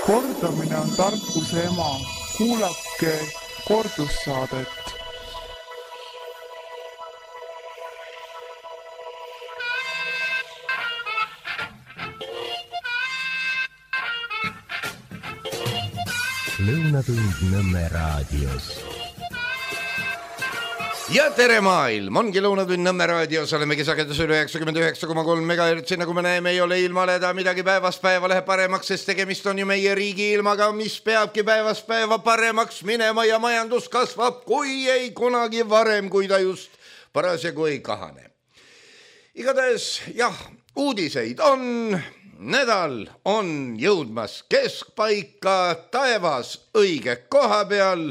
Kordamine on tarkuse ema. Kuulake kordussaadet. Lõunatund Nõmme raadios. Ja tere maailm, ongi Lõunatund Nõmme raadios, oleme sagedus üle 99,3 MHz, nagu me näeme, ei ole ilmaleda midagi päevast päeva läheb paremaks, sest tegemist on ju meie riigi ilmaga, mis peabki päevast päeva paremaks minema ja majandus kasvab, kui ei kunagi varem, kui ta just parasjagu ei kahane. Igatahes, jah, uudiseid on, nädal on jõudmas keskpaika, taevas õige koha peal,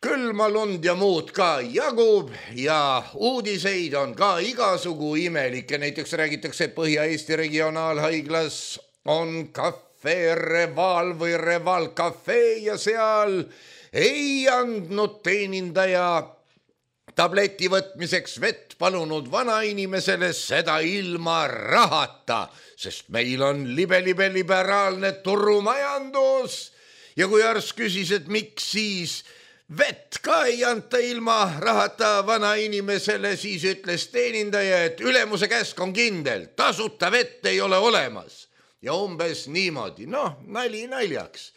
külma lund ja muud ka jagub ja uudiseid on ka igasugu imelikke. Näiteks räägitakse, et Põhja-Eesti regionaalhaiglas on Cafe Reval või Reval Cafe ja seal ei andnud teenindaja tableti võtmiseks vett palunud vanainimesele, seda ilma rahata, sest meil on liberaalne turumajandus. Ja kui arst küsis, et miks siis vett ka ei anta ilma rahata vanainimesele, siis ütles teenindaja, et ülemuse käsk on kindel, tasuta vett ei ole olemas. Ja umbes niimoodi, nali naljaks.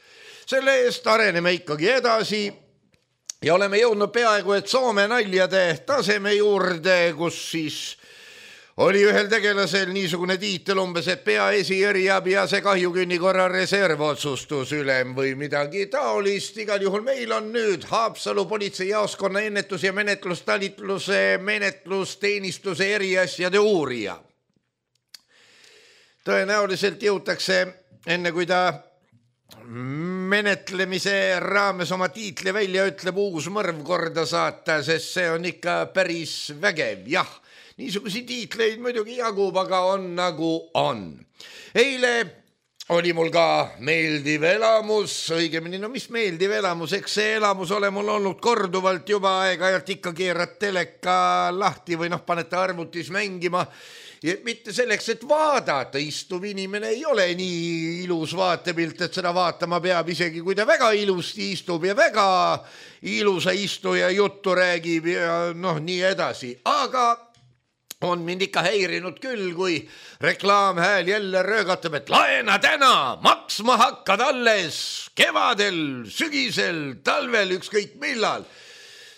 Selle eest areneme ikkagi edasi ja oleme jõudnud peaaegu, et Soome naljade taseme juurde, kus siis oli ühel tegelasel niisugune tiitel umbes, et peaesi eriabi ja see kahjukünni korra reservotsustusülem või midagi taolist. Igal juhul meil on nüüd Haapsalu politseijaoskonna ennetus- ja menetlustalitluse menetlusteenistuse eriasjade uurija. Tõenäoliselt jõutakse enne, kui ta menetlemise raames oma tiitli välja ütleb, uus mõrv korda saata, sest see on ikka päris vägev, jah. Niisugusi tiitleid muidugi jagub, aga on nagu on. Eile oli mul ka meeldiv elamus, õigemini, mis meeldiv elamus, eks see elamus ole mul olnud korduvalt juba aeg-ajalt ikka keerad teleka lahti või panete arvutis mängima. Ja mitte selleks, et vaadata, istuv inimene ei ole nii ilus vaatepilt, et seda vaatama peab, isegi kui ta väga ilusti istub ja väga ilusa istuja juttu räägib ja nii edasi. Aga on mind ikka häirinud küll, kui reklaamhääl jälle röögatab, et laena täna, maksma hakkad alles kevadel, sügisel, talvel, ükskõik millal.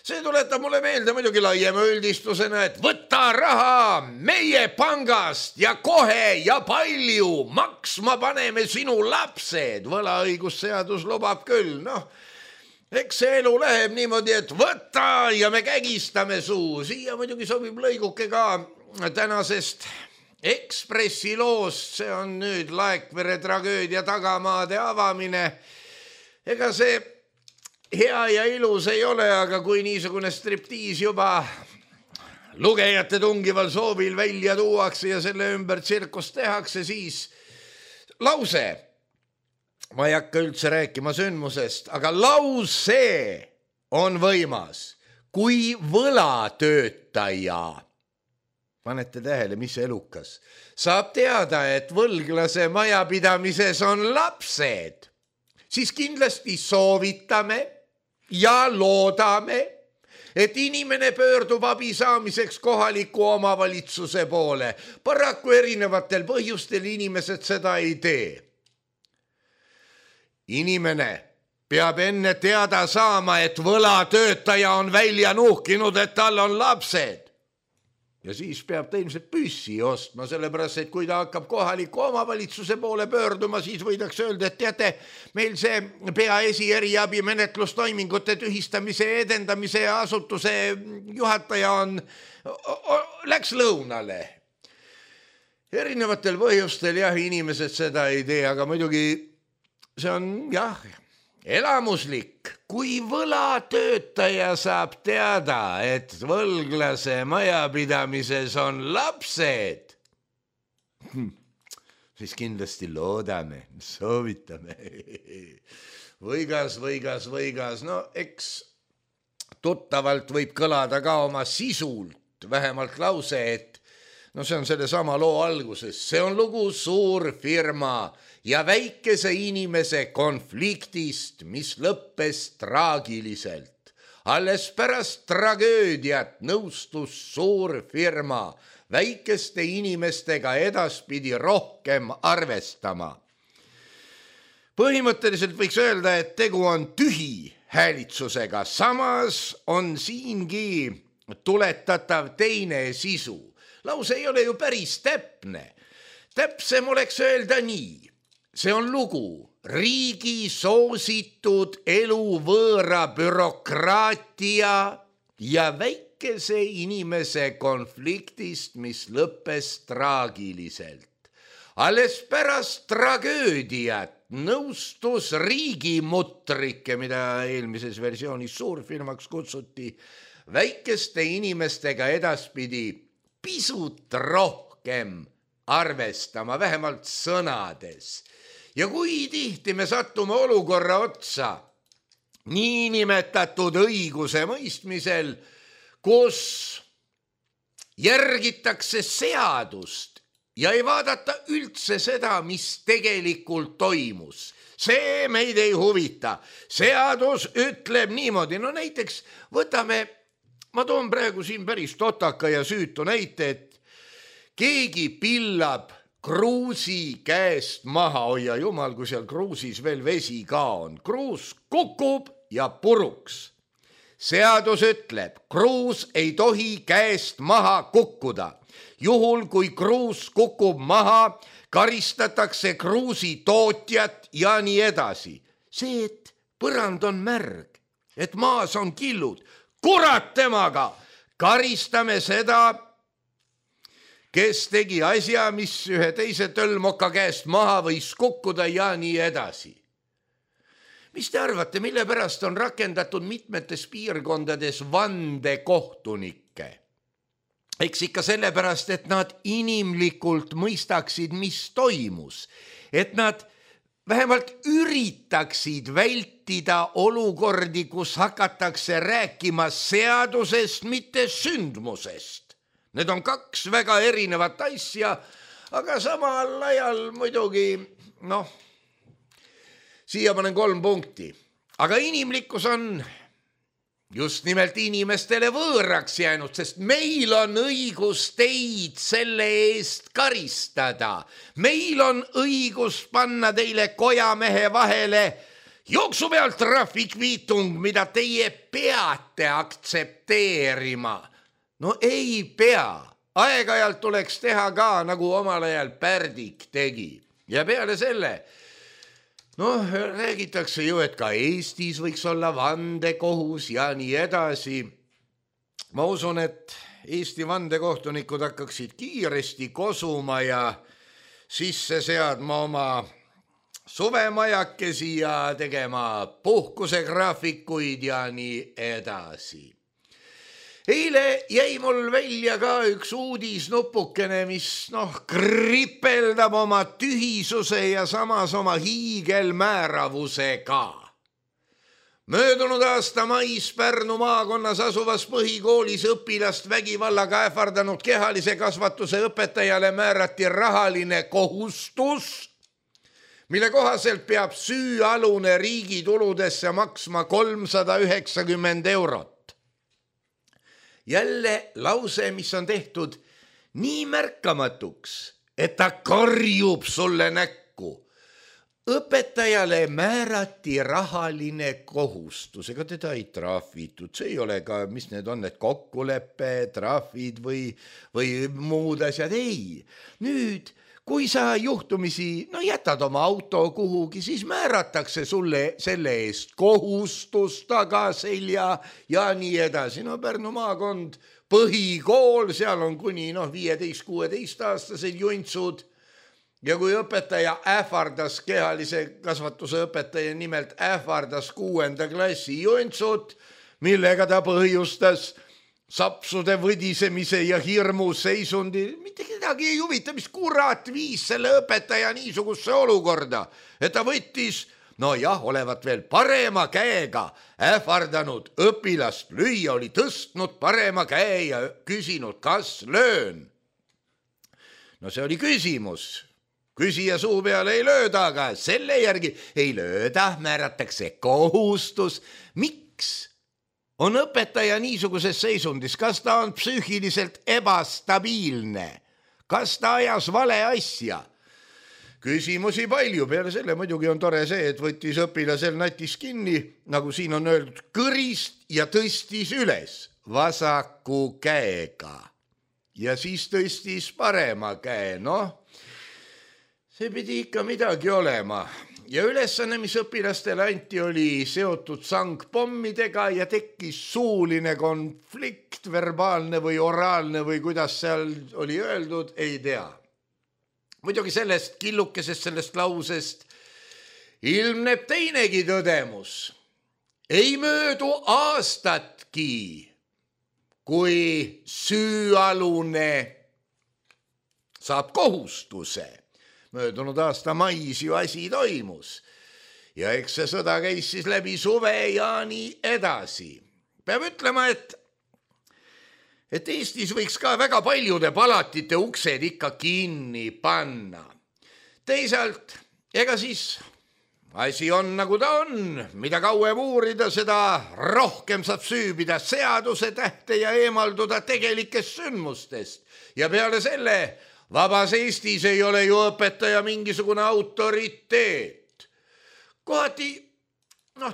See tuletab mulle meelde muidugi laiema üldistusena, et võta raha meie pangast ja kohe ja palju maksma paneme sinu lapsed. Võlaõigusseadus lubab küll, eks see elu läheb niimoodi, et võta ja me kägistame suu. Siia muidugi sobib lõiguke ka tänasest Ekspressi loost, see on nüüd Laekvere tragöödia tagamaade avamine. Ega see hea ja ilus ei ole, aga kui niisugune striptiis juba lugejate tungival soovil välja tuuakse ja selle ümber tsirkus tehakse, siis lause, ma ei hakka üldse rääkima sündmusest, aga lause on võimas, kui võlatöötaja, panete tähele, mis elukas, saab teada, et võlglase majapidamises on lapsed, siis kindlasti soovitame ja loodame, et inimene pöördub abi saamiseks kohaliku omavalitsuse poole. Paraku erinevatel põhjustel inimesed seda ei tee. Inimene peab enne teada saama, et võlatöötaja on välja nuhkinud, et tal on lapsed. Ja siis peab ta ilmselt püssi ostma, sellepärast, et kui ta hakkab kohaliku omavalitsuse poole pöörduma, siis võidakse öelda, et teate, meil see peaesi eriabi menetlustoimingute tühistamise edendamise asutuse juhataja läks lõunale. Erinevatel põhjustel jah, inimesed seda ei tee, aga muidugi see on jah, elamuslik, kui võlatöötaja saab teada, et võlglase majapidamises on lapsed, siis kindlasti loodame, soovitame. Võigas, eks tuttavalt võib kõlada ka oma sisult, vähemalt lause, et no see on selle sama loo alguses, see on lugu suurfirma ja väikese inimese konfliktist, mis lõppes traagiliselt. Alles pärast tragöödiat nõustus suurfirma väikeste inimestega edaspidi rohkem arvestama. Põhimõtteliselt võiks öelda, et tegu on tühi häälitsusega, samas on siingi tuletatav teine sisu. Lause ei ole ju päris täpne. Täpsem oleks öelda nii. See on lugu riigi soositud eluvõõra bürokraatia ja väikese inimese konfliktist, mis lõppes traagiliselt. Alles pärast tragöödiat nõustus riigimutrike, mida eelmises versioonis suurfirmaks kutsuti, väikeste inimestega edaspidi pisut rohkem arvestama, vähemalt sõnades. Ja kui tihti me sattume olukorra otsa niinimetatud õiguse mõistmisel, kus järgitakse seadust ja ei vaadata üldse seda, mis tegelikult toimus. See meid ei huvita. Seadus ütleb niimoodi. No näiteks võtame, ma toon praegu siin päris totaka ja süütu näite, et keegi pillab kruusi käest maha, hoia jumal, kui seal kruusis veel vesi ka on. Kruus kukub ja puruks. Seadus ütleb, kruus ei tohi käest maha kukkuda. Juhul, kui kruus kukub maha, karistatakse kruusi tootjat ja nii edasi. See, et põrand on märg, et maas on killud, kurat temaga, karistame seda, kes tegi asja, mis ühe teise tölmoka käest maha võis kukkuda ja nii edasi. Mis te arvate, mille pärast on rakendatud mitmetes piirkondades vandekohtunikke? Eks ikka sellepärast, et nad inimlikult mõistaksid, mis toimus. Et nad vähemalt üritaksid vältida olukordi, kus hakatakse rääkima seadusest, mitte sündmusest. Need on kaks väga erinevat asja, aga samal ajal muidugi, siia panen 3 punkti. Aga inimlikkus on just nimelt inimestele võõraks jäänud, sest meil on õigus teid selle eest karistada. Meil on õigus panna teile kojamehe vahele jooksu pealt trahvikviitung, mida teie peate aktsepteerima. No ei pea. Aeg-ajalt tuleks teha ka, nagu omal ajal Pärdik tegi. Ja peale selle, räägitakse ju, et ka Eestis võiks olla vandekohus ja nii edasi. Ma usun, et Eesti vandekohtunikud hakkaksid kiiresti kosuma ja sisse seadma oma suvemajakesi ja tegema puhkusegraafikuid ja nii edasi. Eile jäi mul välja ka üks uudisnupukene, mis kripeldab oma tühisuse ja samas oma hiigelmääravusega. Möödunud aasta mais Pärnu maakonnas asuvas põhikoolis õpilast vägivallaga ähvardanud kehalise kasvatuse õpetajale määrati rahaline kohustus, mille kohaselt peab süüalune riigi tuludesse maksma 390 eurot. Jälle lause, mis on tehtud nii märkamatuks, et ta karjub sulle näkku. Õpetajale määrati rahaline kohustus, ega teda ei trahvitud. See ei ole ka, mis need on, need kokkuleppe, trahvid või muud asjad. Ei, nüüd kui sa juhtumisi jätad oma auto kuhugi, siis määratakse sulle selle eest kohustus tagaselja ja nii edasi. Pärnu maakond, põhikool, seal on kuni 15-16-aastased juntsud. Ja kui õpetaja ähvardas, kehalise kasvatuse õpetaja nimelt ähvardas 6. klassi juntsut, millega ta põhjustas sapsude võdisemise ja hirmu seisundi, mitte kedagi ei huvita, mis kurat viis selle õpetaja niisugusse olukorda, et ta võttis, olevat veel parema käega ähvardanud õpilast lüüa, oli tõstnud parema käe ja küsinud, kas löön. no see oli küsimus. Küsija suu peale ei lööda, aga selle järgi ei lööda, määratakse kohustus. Miks on õpetaja niisuguses seisundis? Kas ta on psüühiliselt ebastabiilne? Kas ta ajas vale asja? Küsimusi palju, peale selle muidugi on tore see, et võttis õpilasel natis kinni, nagu siin on öeldud, kõrist ja tõstis üles vasaku käega. Ja siis tõstis parema käe, see pidi ikka midagi olema. Ja ülesanne, mis õpilastele anti, oli seotud sangpommidega ja tekkis suuline konflikt, verbaalne või oraalne või kuidas seal oli öeldud, ei tea. Muidugi sellest killukesest, sellest lausest ilmneb teinegi tõdemus. Ei möödu aastatki, kui süüalune saab kohustuse. Möödunud aasta mais ju asi toimus. Ja eks see sõda käis siis läbi suve ja nii edasi. Peab ütlema, et Eestis võiks ka väga paljude palatite uksed ikka kinni panna. Teisalt, ega siis asi on nagu ta on. Mida kauem uurida, seda rohkem saab süübida seaduse tähte ja eemalduda tegelikest sündmustest. Ja peale selle vabas Eestis ei ole ju õpetaja mingisugune autoriteet. Kohati,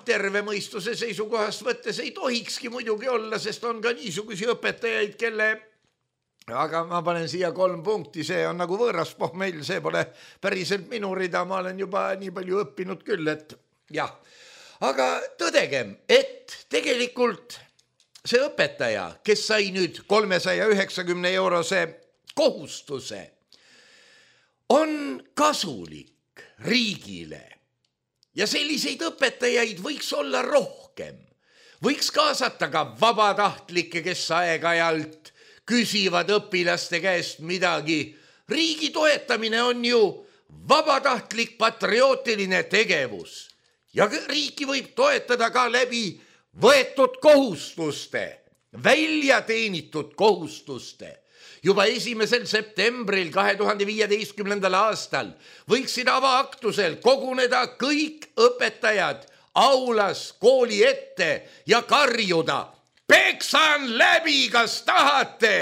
terve mõistuse seisukohast võttes ei tohikski muidugi olla, sest on ka niisugusi õpetajaid, kelle, aga ma panen siia 3 punkti, see on nagu võõras pohmell, see pole päriselt minu rida, ma olen juba nii palju õppinud küll, et jah. Aga tõdegem, et tegelikult see õpetaja, kes sai nüüd 390 eurose kohustuse, on kasulik riigile ja selliseid õpetajaid võiks olla rohkem. Võiks kaasata ka vabatahtlikke, kes aeg-ajalt küsivad õpilaste käest midagi. Riigi toetamine on ju vabatahtlik patriootiline tegevus ja riiki võib toetada ka läbi võetud kohustuste, väljateenitud kohustuste. Juba 1. septembril 2015. aastal võiksid avaaktusel koguneda kõik õpetajad aulas kooli ette ja karjuda: peksan läbi, kas tahate?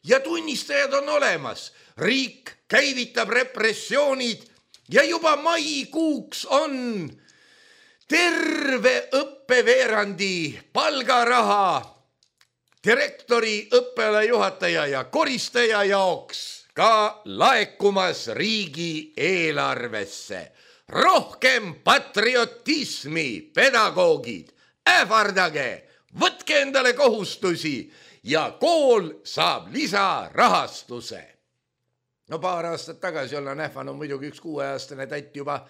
Ja tunnistajad on olemas. Riik käivitab repressioonid ja juba maikuuks on terve õppeveerandi palgaraha direktori, õppealajuhataja ja koristaja jaoks ka laekumas riigi eelarvesse. Rohkem patriotismi, pedagoogid, ähvardage, võtke endale kohustusi ja kool saab lisarahastuse. Paar aastat tagasi olen ähvanud muidugi üks 6-aastane tatt juba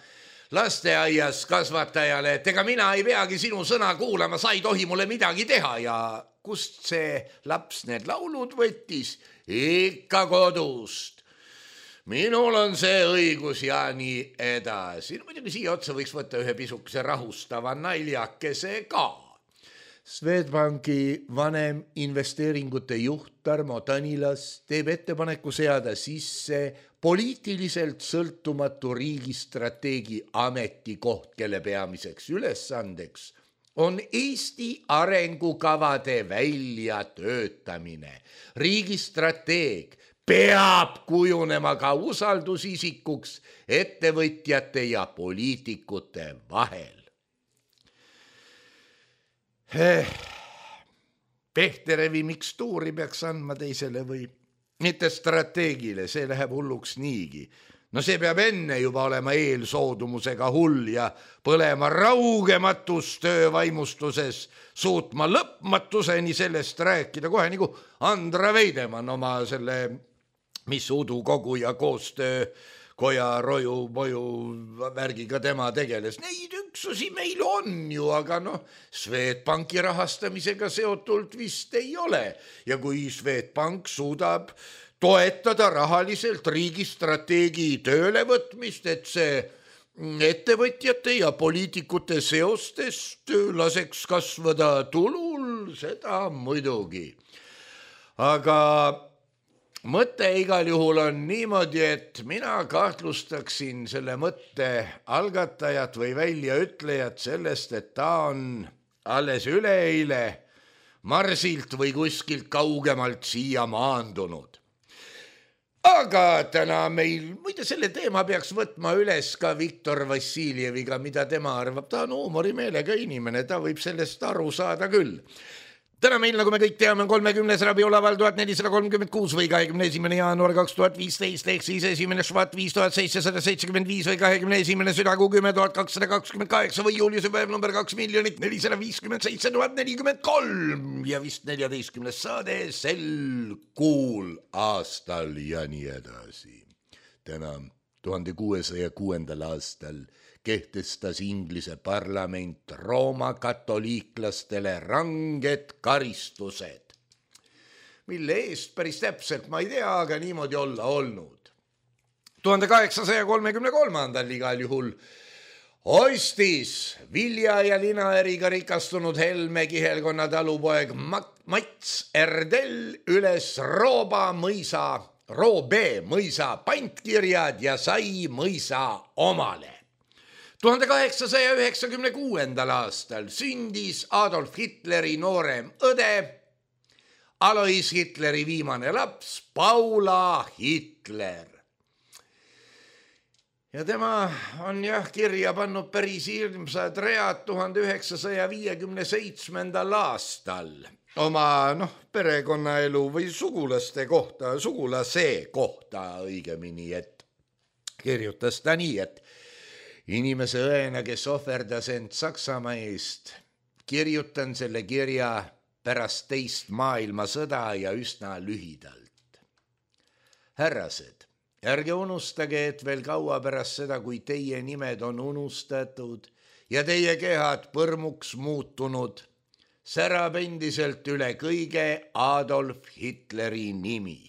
lasteaias kasvatajale, et ega mina ei peagi sinu sõna kuulama, sa ei tohi mulle midagi teha ja kust see laps need laulud võttis? Ikka kodust. Minul on see õigus ja nii edasi. Muidugi siia otsa võiks võtta ühe pisukese rahustava naljakese ka. Swedbanki vanem investeeringute juht Tarmo Tanilas teeb ettepaneku seada sisse poliitiliselt sõltumatu riigistrateegi ametikoht, kelle peamiseks ülesandeks on Eesti arengukavade väljatöötamine. Riigistrateeg peab kujunema ka usaldusisikuks ettevõtjate ja poliitikute vahel. Pehterevi mikstuuri peaks andma teisele või mitte strateegile, see läheb hulluks niigi. No see peab enne juba olema eelsoodumusega hull ja põlema raugematus töövaimustuses, suutma lõpmatuseni sellest rääkida kohe nagu Andra Veidemann oma selle mis udukogu ja koostöökoja roju-moju värgiga tema tegeles. Neid üksusi meil on ju, aga Swedbanki rahastamisega seotult vist ei ole. Ja kui Swedbank suudab toetada rahaliselt riigistrateegi töölevõtmist, et see ettevõtjate ja poliitikute seostest laseks kasvada tulul, seda muidugi. Aga mõte igal juhul on niimoodi, et mina kahtlustaksin selle mõtte algatajat või väljaütlejat sellest, et ta on alles üleeile Marsilt või kuskilt kaugemalt siia maandunud. Aga täna meil, muide selle teema peaks võtma üles ka Viktor Vassiljeviga, mida tema arvab. Ta on huumorimeelega inimene, ta võib sellest aru saada küll. Täna meil, nagu me kõik teame, on 30. rabiolaval 1436 või 21. jaanuar 2015 ehk siis 1. švat 5775 või 21. südakuu 10 228 või juuliuse päev number 2 457 043 ja vist 14. saade sel kuul aastal ja nii edasi. Täna 1606. aastal kehtestas Inglise parlament Rooma katoliiklastele ranged karistused, mille eest päris täpselt ma ei tea, aga niimoodi olla olnud. 1833. igal juhul ostis vilja- ja linaäriga rikastunud Helme kihelkonna talupoeg Mats Erdel üles Roobe mõisa pantkirjad ja sai mõisa omale. 1896. aastal sündis Adolf Hitleri noorem õde, Alois Hitleri viimane laps, Paula Hitler. Ja tema on kirja pannud päris ilmsad read 1957. aastal oma perekonnaelu või sugulase kohta õigemini, et kirjutas ta nii, et inimese õena, kes ohverdas end Saksamaa eest, kirjutan selle kirja pärast teist maailmasõda ja üsna lühidalt. Härrased, ärge unustage, et veel kaua pärast seda, kui teie nimed on unustatud ja teie kehad põrmuks muutunud, särab endiselt üle kõige Adolf Hitleri nimi.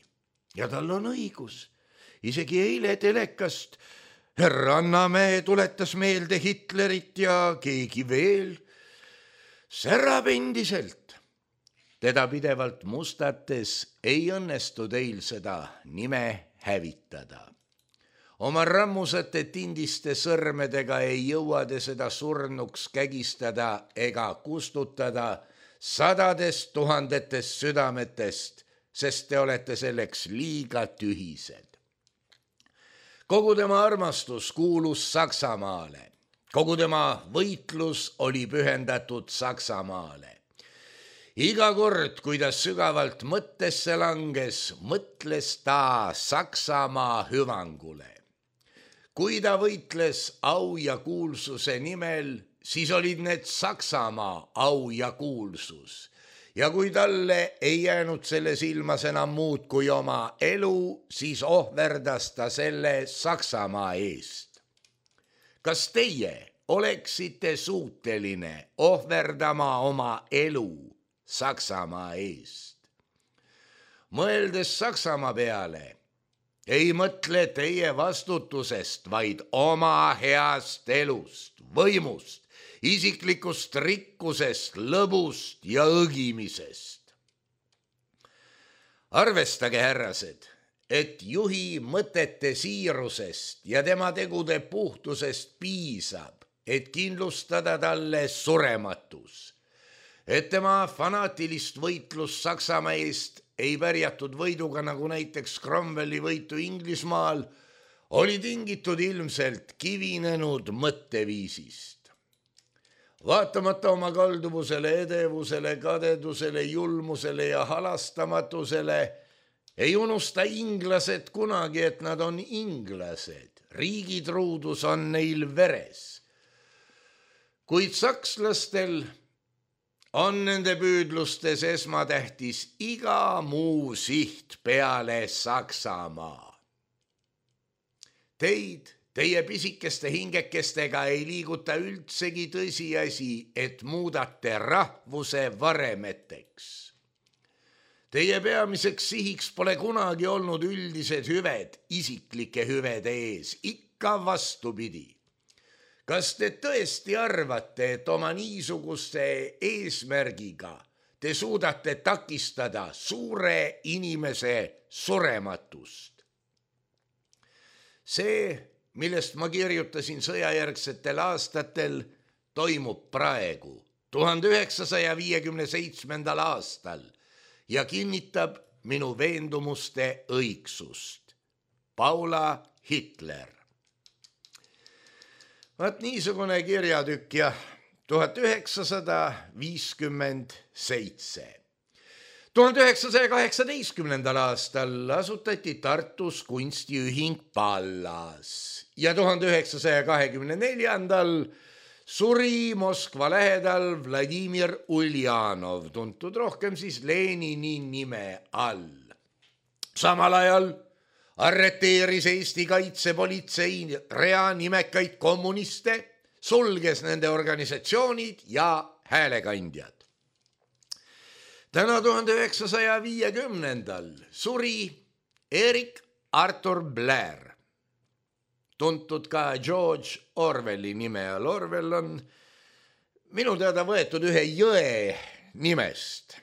Ja tal on õigus. Isegi eile telekast Härra Annamäe tuletas meelde Hitlerit ja keegi veel särab endiselt. Teda pidevalt mustates ei õnnestu teil seda nime hävitada. Oma rammusate tindiste sõrmedega ei jõua te seda surnuks kägistada ega kustutada sadadest tuhandetest südametest, sest te olete selleks liiga tühised. Kogu tema armastus kuulus Saksamaale. Kogu tema võitlus oli pühendatud Saksamaale. Iga kord, kui ta sügavalt mõttesse langes, mõtles ta Saksamaa hüvangule. Kui ta võitles au ja kuulsuse nimel, siis olid need Saksamaa au ja kuulsus. Ja kui talle ei jäänud selles ilmas enam muud kui oma elu, siis ohverdas ta selle Saksamaa eest. Kas teie oleksite suuteline ohverdama oma elu Saksamaa eest? Mõeldes Saksamaa peale, ei mõtle teie vastutusest, vaid oma heast elust, võimust, isiklikust rikkusest, lõbust ja õgimisest. Arvestage, härrased, et juhi mõtete siirusest ja tema tegude puhtusest piisab, et kindlustada talle surematus. Et tema fanaatilist võitlust Saksamaa eest ei pärjatud võiduga, nagu näiteks Cromwelli võitu Inglismaal, oli tingitud ilmselt kivinenud mõtteviisist. Vaatamata oma kalduvusele, edevusele, kadedusele, julmusele ja halastamatusele ei unusta inglased kunagi, et nad on inglased. Riigitruudus on neil veres. Kuid sakslastel on nende püüdlustes esmatähtis iga muu siht peale Saksamaa. Teie pisikeste hingekestega ei liiguta üldsegi tõsiasi, et muudate rahvuse varemeteks. Teie peamiseks sihiks pole kunagi olnud üldised hüved isiklike hüvede ees, ikka vastupidi. Kas te tõesti arvate, et oma niisuguse eesmärgiga te suudate takistada suure inimese surematust. See, millest ma kirjutasin sõjajärgsetel aastatel, toimub praegu 1957. aastal ja kinnitab minu veendumuste õigsust. Paula Hitler. Vaat niisugune kirjatükk ja 1957. 1918. aastal asutati Tartus kunstiühing Pallas ja 1924. suri Moskva lähedal Vladimir Uljanov, tuntud rohkem siis Lenini nime all. Samal ajal arreteeris Eesti kaitsepolitsei rea nimekaid kommuniste, sulges nende organisatsioonid ja häälekandjad. Täna 1950. suri Erik Arthur Blair, tuntud ka George Orwelli nime all. Orwell on minu teada võetud ühe jõe nimest.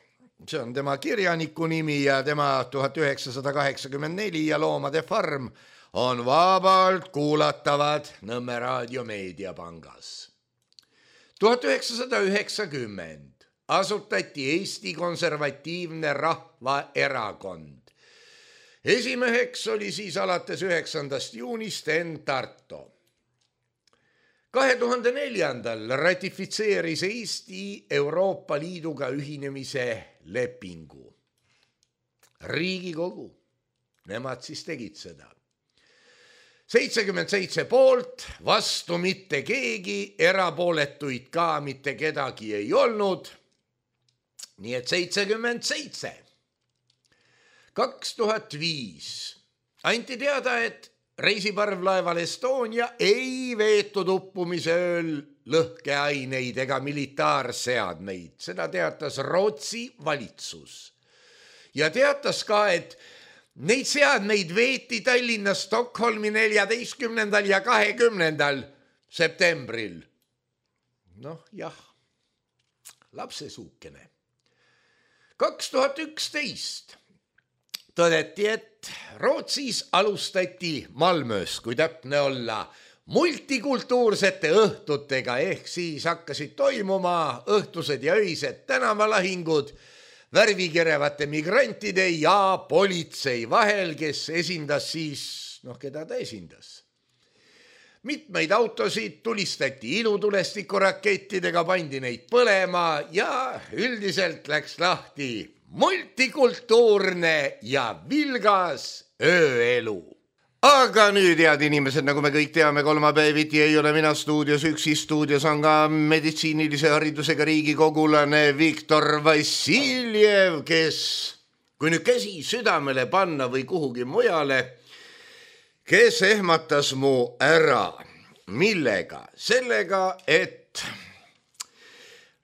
See on tema kirjaniku nimi ja tema 1984 ja Loomade farm on vabalt kuulatavad Nõmme raadio meediapangas. 1990 asutati Eesti Konservatiivne Rahvaerakond. Esimeheks oli siis alates 9. juunist Enn Tarto. 2004. ratifitseeris Eesti Euroopa Liiduga ühinemise lepingu. Riigikogu, nemad siis tegid seda. 77 poolt, vastu mitte keegi, erapooletuid ka mitte kedagi ei olnud. Nii et 77. 2005 anti teada, et reisiparvlaeval Estonia ei veetud uppumise ööl lõhkeaineid ega militaarseadmeid. Seda teatas Rootsi valitsus. Ja teatas ka, et neid seadmeid veeti Tallinna Stockholmi 14. ja 20. septembril. Noh, jah, lapsesuukene. 2011 tõdeti, et Rootsis alustati Malmös, kui täpne olla, multikultuursete õhtutega, ehk siis hakkasid toimuma õhtused ja öised tänavalahingud värvikirevate migrantide ja politsei vahel, kes esindas siis, keda ta esindas. Mitmeid autosid tulistati ilutulestikurakkettidega, pandi neid põlema ja üldiselt läks lahti multikultuurne ja vilgas ööelu. Aga nüüd, head inimesed, nagu me kõik teame, kolmapäeviti ei ole mina stuudios üksi. Stuudios on ka meditsiinilise haridusega riigikogulane Viktor Vassiljev, kes, kui nüüd käsi südamele panna või kuhugi mujale, kes ehmatas mu ära. Millega? Sellega, et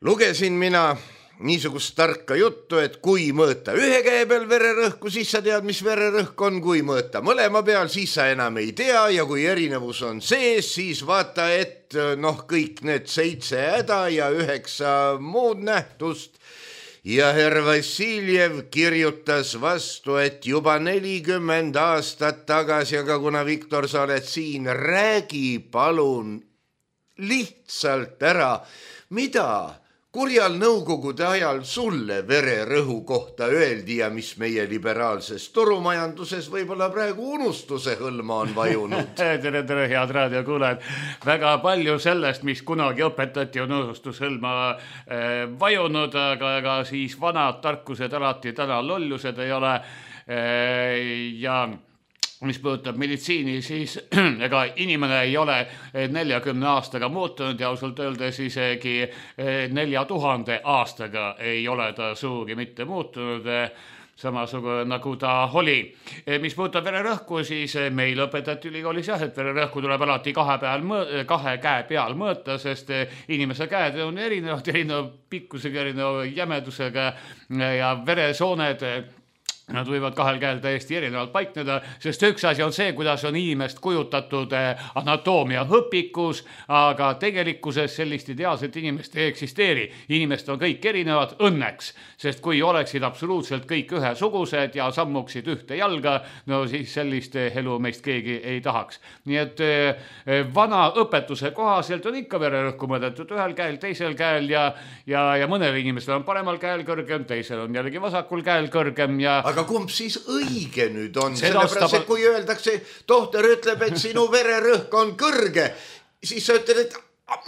lugesin mina niisugust tarka juttu, et kui mõõta ühe käe peal vererõhku, siis sa tead, mis vererõhk on, kui mõõta mõlema peal, siis sa enam ei tea ja kui erinevus on sees, siis vaata, et kõik need 7 häda ja 9 muud nähtust. Ja herr Vassiljev kirjutas vastu, et juba 40 aastat tagasi, aga kuna Viktor, sa oled siin, räägi palun lihtsalt ära, mida kurjal nõukogude ajal sulle vererõhu kohta öeldi ja mis meie liberaalses turumajanduses võib-olla praegu unustuse hõlma on vajunud. Tere, head raadiokuulajad. Väga palju sellest, mis kunagi õpetati, on unustushõlma vajunud, aga siis vanad tarkused alati täna lollused ei ole. Ja mis puudutab meditsiini, siis ega inimene ei ole 40 aastaga muutunud ja ausalt öeldes isegi 4000 aastaga ei ole ta suugi mitte muutunud, samasugune nagu ta oli. Mis puudutab vererõhku, siis meil õpetati ülikoolis jah, et vererõhku tuleb alati 2 käe peal mõõta, sest inimese käed on erineva pikkusega, erineva jämedusega ja veresooned Nad võivad kahel käel täiesti erinevalt paikneda, sest üks asi on see, kuidas on inimest kujutatud anatoomia õpikus, aga tegelikkuses sellist ideaalset inimest ei eksisteeri. Inimest on kõik erinevad õnneks, sest kui oleksid absoluutselt kõik ühesugused ja sammuksid ühte jalga, no siis sellist elu meist keegi ei tahaks. Nii et vana õpetuse kohaselt on ikka vererõhku mõõdetud ühel käel, teisel käel ja mõnel inimesel on paremal käel kõrgem, teisel on jällegi vasakul käel kõrgem ja aga kumb siis õige nüüd on? Sellepärast, et kui öeldakse, tohter ütleb, et sinu vererõhk on kõrge, siis sa ütled, et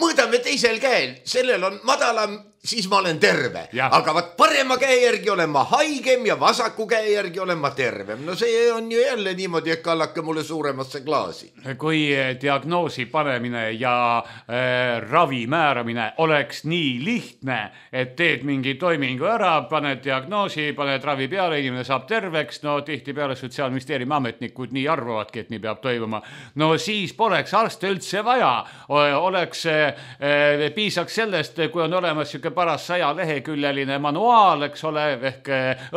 mõõdame teisel käel, sellel on madalam, siis ma olen terve. Aga vaat parema käe järgi olen ma haigem ja vasaku käe järgi olen ma tervem. No see on ju jälle niimoodi, et kallake mulle suuremasse klaasi. Kui diagnoosi panemine ja ravi määramine oleks nii lihtne, et teed mingi toimingu ära, paned diagnoosi, paned ravi peale, inimene saab terveks, no tihti peale Sotsiaalministeeriumi ametnikud nii arvavadki, et nii peab toimuma. No siis poleks arste üldse vaja. Piisaks sellest, kui on olemas paras 100-leheküljeline manuaal, eks ole, ehk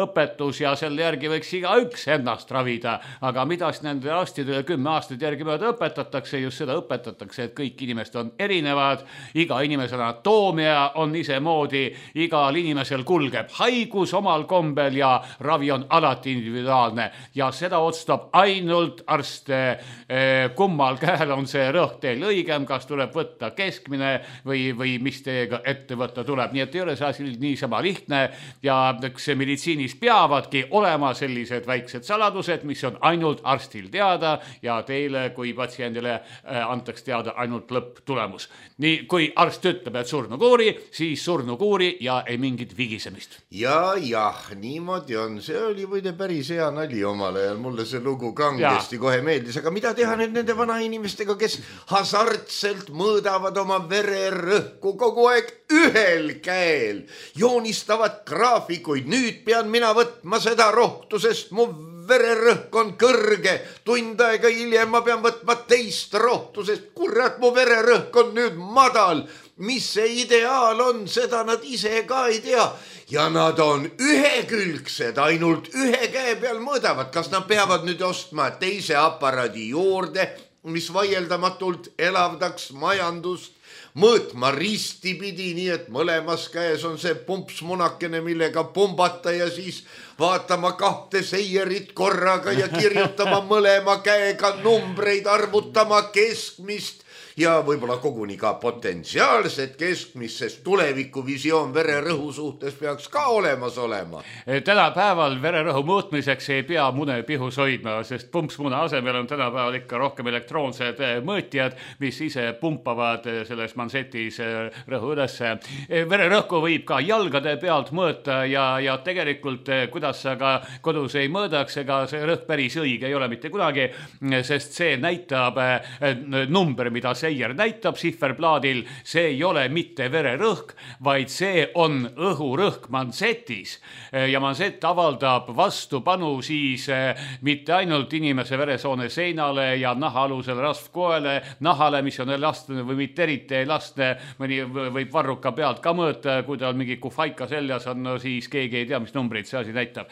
õpetus ja selle järgi võiks igaüks ennast ravida. Aga mida nende arstidele 10 aastat järgi mööda õpetatakse, just seda õpetatakse, et kõik inimesed on erinevad, iga inimese anatoomia on isemoodi, igal inimesel kulgeb haigus omal kombel ja ravi on alati individuaalne ja seda otsustab ainult arst, kummal käel on see rõhk teil õigem, kas tuleb võtta keskmine või mis teiega ette võtta tuleb. Nii et ei ole see asi niisama lihtne ja meditsiinis peavadki olema sellised väiksed saladused, mis on ainult arstil teada ja teile kui patsiendile antaks teada ainult lõpptulemus. Nii, kui arst ütleb, et surnukuuri, siis surnukuuri ja ei mingit vigisemist. Ja, niimoodi on. See oli võide päris hea nali omal ajal. Mulle see lugu kangesti kohe meeldis. Aga mida teha nüüd nende vana inimestega, kes hasartselt mõõdavad oma vererõhku kogu aeg ühel käel, joonistavad graafikuid, nüüd pean mina võtma seda rohtu, sest mu vererõhk on kõrge, tund aega hiljem ma pean võtma teist rohtu, sest kurat, mu vererõhk on nüüd madal. Mis see ideaal on, seda nad ise ka ei tea. Ja nad on ühekülgsed, ainult ühe käe peal mõõdavad. Kas nad peavad nüüd ostma teise aparaadi juurde, mis vaieldamatult elavdaks majandust, mõõtma ristipidi, nii et mõlemas käes on see pumpsmunakene, millega pumbata ja siis vaatama 2 seierit korraga ja kirjutama mõlema käega numbreid, arvutama keskmist ja võib-olla koguni ka potentsiaalset keskmist, sest tulevikuvisioon vererõhu suhtes peaks ka olemas olema. Tänapäeval vererõhu mõõtmiseks ei pea mune pihus hoidma, sest pumpsmuna asemel on tänapäeval ikka rohkem elektroonsed mõõtjad, mis ise pumpavad selles mansetis rõhu ülesse. Vererõhku võib ka jalgade pealt mõõta ja tegelikult, kuidas sa ka kodus ei mõõdaks, ega see rõhk päris õige ei ole mitte kunagi, sest see näitab number, mida seier näitab sihverplaadil, see ei ole mitte vererõhk, vaid see on õhurõhk mansetis ja mansett avaldab vastupanu siis mitte ainult inimese veresoone seinale ja nahaalusele rasvkoele, nahale, mis on elastne või mitte eriti elastne, mõni võib varruka pealt ka mõõta, kui tal mingi kufaika seljas on, no siis keegi ei tea, mis numbrid see asi näitab.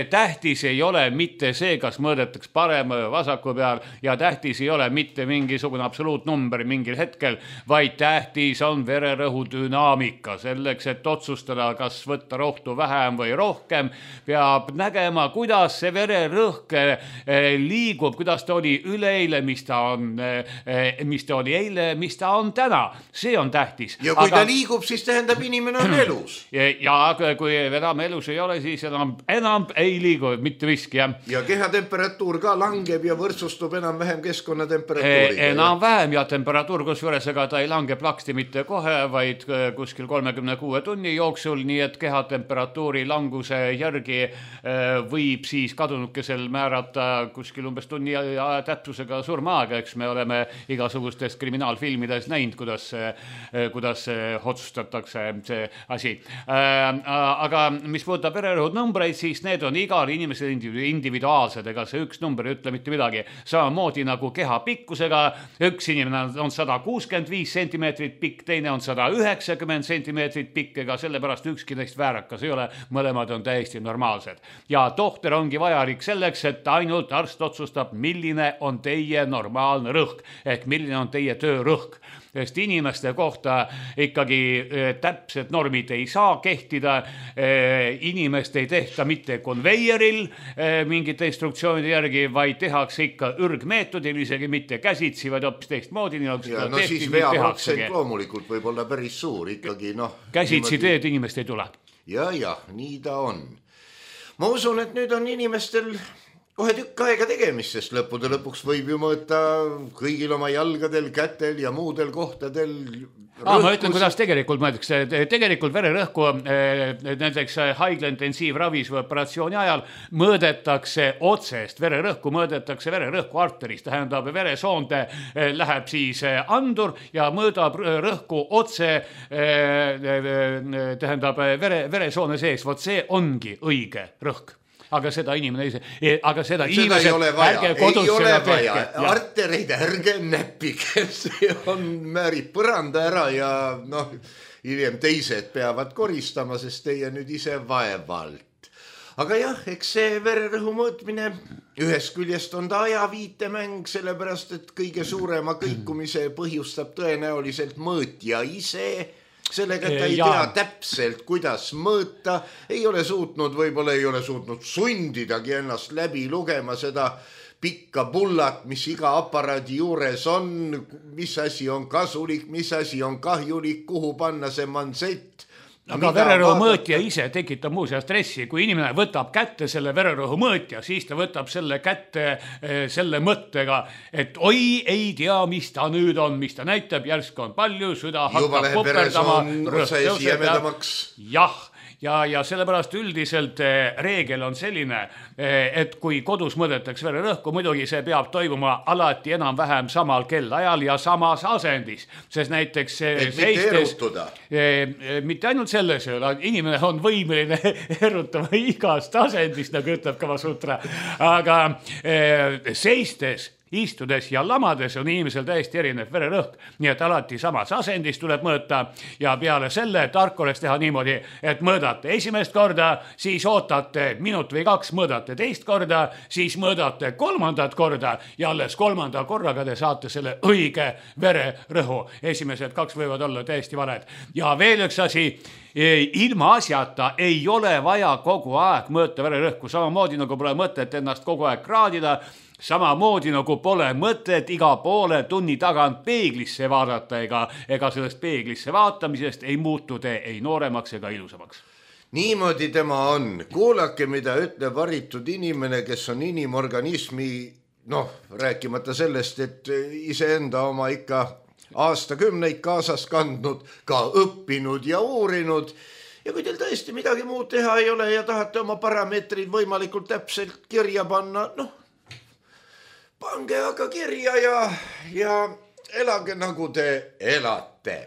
Tähtis ei ole mitte see, kas mõõdetaks parem vasaku peal ja tähtis ei ole mitte mingisugune absoluutnumber mingil hetkel, vaid tähtis on vererõhu dünaamika. Selleks, et otsustada, kas võtta rohtu vähem või rohkem, peab nägema, kuidas see vererõhk liigub, kuidas ta oli üleeile, mis ta oli eile, mis ta on täna. See on tähtis. Ja kui ta liigub, siis tähendab inimene on elus. Ja kui enam elus ei ole, siis enam ei liigu, mitte miski. Ja kehatemperatuur ka langeb ja võrdsustub enam-vähem keskkonnatemperatuuriga. Enam-vähem ja temperatuur, kusjuures ega ta ei lange plaksti mitte kohe, vaid kuskil 36 tunni jooksul, nii et kehatemperatuuri languse järgi võib siis kadunukesel määrata kuskil umbes tunni täpsusega surmaaega, eks me oleme igasugustes kriminaalfilmides näinud, kuidas otsustatakse see asi. Aga mis puudutab vererõhu numbreid, siis need on igal inimesel individuaalsed, ega see üks number ei ütle mitte midagi. Samamoodi nagu keha pikkusega, üks inimene on 165 sentimeetrit pikk, teine on 190 sentimeetrit pikk, ega sellepärast ükski neist väärakas ei ole, mõlemad on täiesti normaalsed. Ja tohter ongi vajalik selleks, et ainult arst otsustab, milline on teie normaalne rõhk, ehk milline on teie töörõhk. Sest inimeste kohta ikkagi täpsed normid ei saa kehtida, inimest ei tehta mitte konveieril mingite instruktsioonide järgi, vaid tehakse ikka ürgmeetodil, isegi mitte käsitsi, vaid hoopis teistmoodi. Ja no siis veaprotsent loomulikult võib olla päris suur ikkagi. Käsitsi teed inimest ei tule. Ja, nii ta on. Ma usun, et nüüd on inimestel kohe tükk aega tegemist, sest lõppude lõpuks võib ju mõõta kõigil oma jalgadel, kätel ja muudel kohtadel. Ma ütlen, kuidas tegelikult mõeldakse. Tegelikult vererõhku näiteks haigla intensiivravis või operatsiooni ajal mõõdetakse otsest vererõhku, mõõdetakse vererõhku arterist, tähendab veresoonde läheb siis andur ja mõõdab rõhku otse, tähendab veresoone sees, vot see ongi õige rõhk. Aga seda inimene inimesed ärge kodus seda tehke. Artereid ärge näppige, see on määrib põranda ära ja hiljem teised peavad koristama, sest teie nüüd ise vaevalt. Aga jah, eks see vererõhu mõõtmine ühest küljest on ta ajaviitemäng, sellepärast et kõige suurema kõikumise põhjustab tõenäoliselt mõõtja ise. Sellega, et ta ei tea täpselt, kuidas mõõta, võib-olla ei ole suutnud sundidagi ennast läbi lugema seda pikka bullat, mis iga aparaadi juures on, mis asi on kasulik, mis asi on kahjulik, kuhu panna see mansett. Aga vererõhu mõõtja ise tekitab muuseas stressi. Kui inimene võtab kätte selle vererõhu mõõtja, siis ta võtab selle kätte selle mõttega, et oi, ei tea, mis ta nüüd on, mis ta näitab, järsk on palju, süda hakkab puperdama. Jah. Ja sellepärast üldiselt reegel on selline, et kui kodus mõõdetakse vererõhku, muidugi see peab toimuma alati enam-vähem samal kellaajal ja samas asendis, sest näiteks seistes, mitte ainult selles, inimene on võimeline erutama igast asendist, nagu ütleb Kama Sutra, aga seistes, istudes ja lamades on inimesel täiesti erinev vererõhk, nii et alati samas asendis tuleb mõõta ja peale selle tark oleks teha niimoodi, et mõõdate esimest korda, siis ootate minut või 2, mõõdate teist korda, siis mõõdate kolmandat korda ja alles kolmanda korraga te saate selle õige vererõhu. Esimesed 2 võivad olla täiesti valed. Ja veel üks asi, ilma asjata ei ole vaja kogu aeg mõõta vererõhku, samamoodi nagu pole mõtet ennast kogu aeg kraadida, samamoodi nagu pole mõtet iga poole tunni tagant peeglisse vaadata ega sellest peeglisse vaatamisest ei muutu te ei nooremaks ega ilusamaks. Niimoodi tema on. Kuulake, mida ütleb haritud inimene, kes on inimorganismi, rääkimata sellest, et iseenda oma ikka aastakümneid kaasas kandnud, ka õppinud ja uurinud. Ja kui teil tõesti midagi muud teha ei ole ja tahate oma parameetrid võimalikult täpselt kirja panna, pange aga kirja ja elage nagu te elate.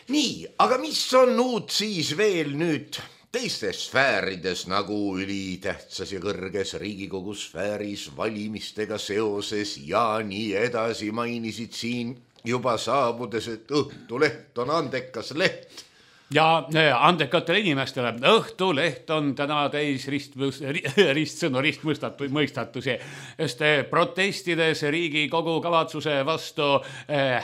Nii, aga mis on uut siis veel nüüd teistes sfäärides nagu ülitähtsas ja kõrges Riigikogu sfääris valimistega seoses ja nii edasi, mainisid siin juba saabudes, et Õhtuleht on andekas leht. Ja andekatele inimestele Õhtuleht on täna täis ristsõnu, ristmõistatusi, sest protestides Riigikogu kavatsuse vastu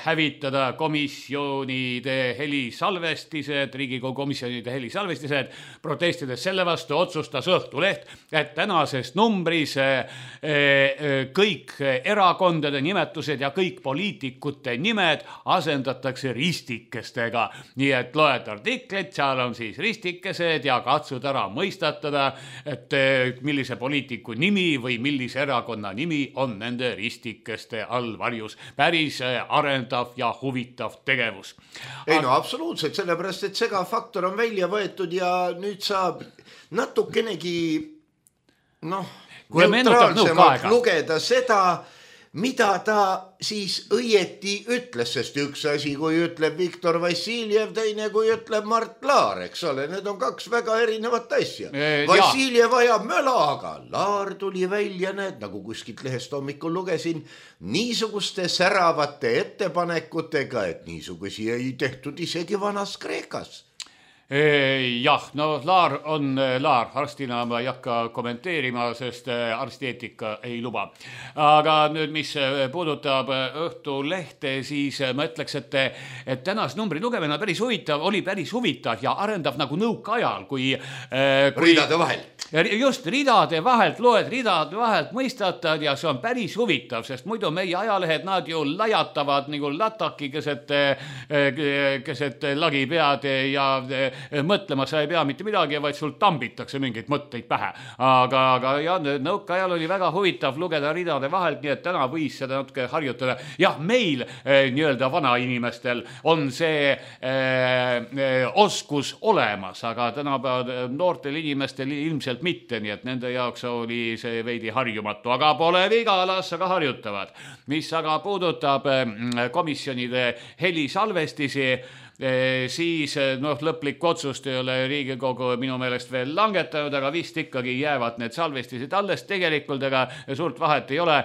hävitada komisjonide helisalvestised, Riigikogu komisjonide helisalvestised, protestides selle vastu otsustas Õhtuleht, et tänases numbris kõik erakondade nimetused ja kõik poliitikute nimed asendatakse ristikestega, nii et loed artiklit, seal on siis ristikesed ja katsud ära mõistatada, et millise poliitiku nimi või millise erakonna nimi on nende ristikeste all varjus. Päris arendav ja huvitav tegevus. Ei absoluutselt, sellepärast, et segafaktor on välja võetud ja nüüd saab natukenegi neutraalsemalt lugeda seda, mida ta siis õieti ütles, sest üks asi, kui ütleb Viktor Vassiljev, teine kui ütleb Mart Laar, eks ole, need on kaks väga erinevat asja. Vassiljev ajab möla, aga Laar tuli välja, nagu kuskilt lehest hommikul lugesin, niisuguste säravate ettepanekutega, et niisugusi ei tehtud isegi vanas Kreekas. Jah, no Laar on Laar, arstina ma ei hakka kommenteerima, sest arstieetika ei luba. Aga nüüd, mis puudutab Õhtulehte, siis ma ütleks, et tänas numbri lugemine oli päris huvitav ja arendav nagu nõukaajal, kui ridade vahelt. Just ridade vahelt loed, ridade vahelt mõistatad ja see on päris huvitav, sest muidu meie ajalehed, nad ju lajatavad nagu lataki keset lagipead ja mõtlema sa ei pea mitte midagi, vaid sul tambitakse mingeid mõtteid pähe. Aga jah, nõukaajal oli väga huvitav lugeda ridade vahelt, nii et täna võis seda natuke harjutada. Jah, meil nii-öelda vanainimestel on see oskus olemas, aga tänapäeval noortel inimestel ilmselt mitte, nii et nende jaoks oli see veidi harjumatu, aga pole viga, las aga harjutavad. Mis aga puudutab komisjonide helisalvestisi, siis lõplik otsust ei ole Riigikogu minu meelest veel langetanud, aga vist ikkagi jäävad need salvestised alles tegelikult, aga suurt vahet ei ole,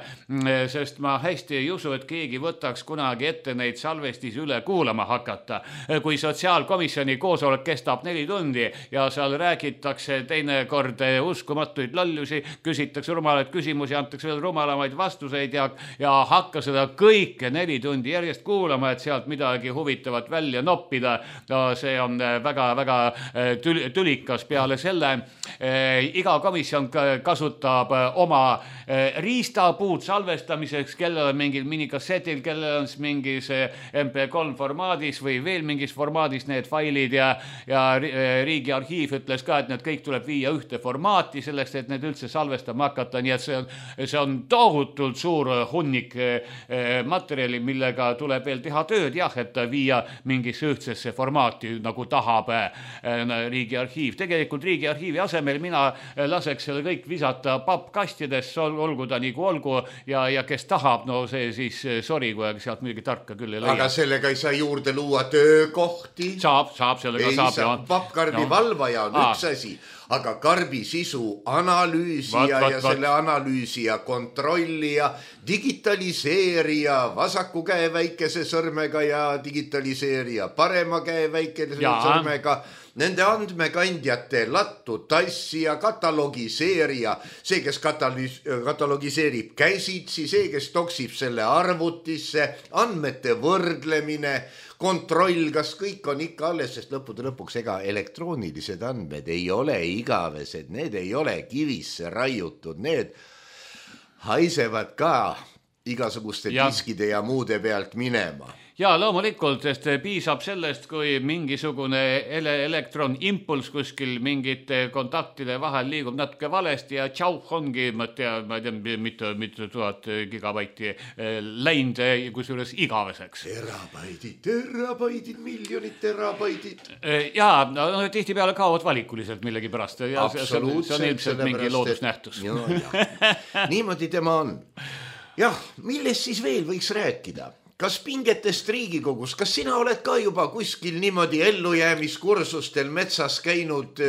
sest ma hästi ei usu, et keegi võtaks kunagi ette neid salvestisi üle kuulama hakata. Kui sotsiaalkomisjoni koosolek kestab 4 tundi ja seal räägitakse teinekord uskumatuid lollusi, küsitakse rumalaid küsimusi, antakse veel rumalamaid vastuseid ja hakka seda kõike 4 tundi järjest kuulama, et sealt midagi huvitavat välja noppida. See on väga-väga tülikas. Peale selle iga komisjon kasutab oma riistapuud salvestamiseks, kellel on mingil minikassetil, kellel on mingis MP3 formaadis või veel mingis formaadis need failid ja Riigi Arhiiv ütles ka, et need kõik tuleb viia ühte formaati selleks, et need üldse salvestama hakata, nii et see on tohutult suur hunnik materjali, millega tuleb veel teha tööd, jah, et viia mingisse ühtsesse formaati, nagu tahab Riigi Arhiiv. Tegelikult Riigi Arhiivi asemel mina laseks selle kõik visata pappkastidesse, olgu ta nagu olgu ja kes tahab, no see siis sorry, kui sealt midagi tarka küll ei leia. Aga sellega ei saa juurde luua töökohti. Saab, sellega saab. Pappkarbi valvaja on üks asi, aga karbi sisu analüüsija ja selle analüüsija kontrollija, digitaliseerija, vasaku käe väikese sõrmega ja digitaliseerija parema käe väikese sõrmega, nende andmekandjate lattu tassija, katalogiseerija, see, kes katalogiseerib käsitsi, see, kes toksib selle arvutisse, andmete võrdlemine, kontroll, kas kõik on ikka alles, sest lõppude lõpuks ega elektroonilised andmed ei ole igavesed, need ei ole kivisse raiutud, need haisevad ka igasuguste diskide ja muude pealt minema. Ja loomulikult, sest piisab sellest, kui mingisugune elektronimpuls kuskil mingite kontaktide vahel liigub natuke valesti ja tšau, ongi, ma ei tea, mitu 1000 gigabaiti läinud, kusjuures igaveseks. Terabaidid, miljonid terabaidid. Ja, no tihtipeale kaovad valikuliselt millegi pärast. Absoluutselt. See on ilmselt mingi loodusnähtus. Niimoodi tema on. Jah, millest siis veel võiks rääkida? Kas pingetest Riigikogus, kas sina oled ka juba kuskil niimoodi ellujäämiskursustel metsas käinud,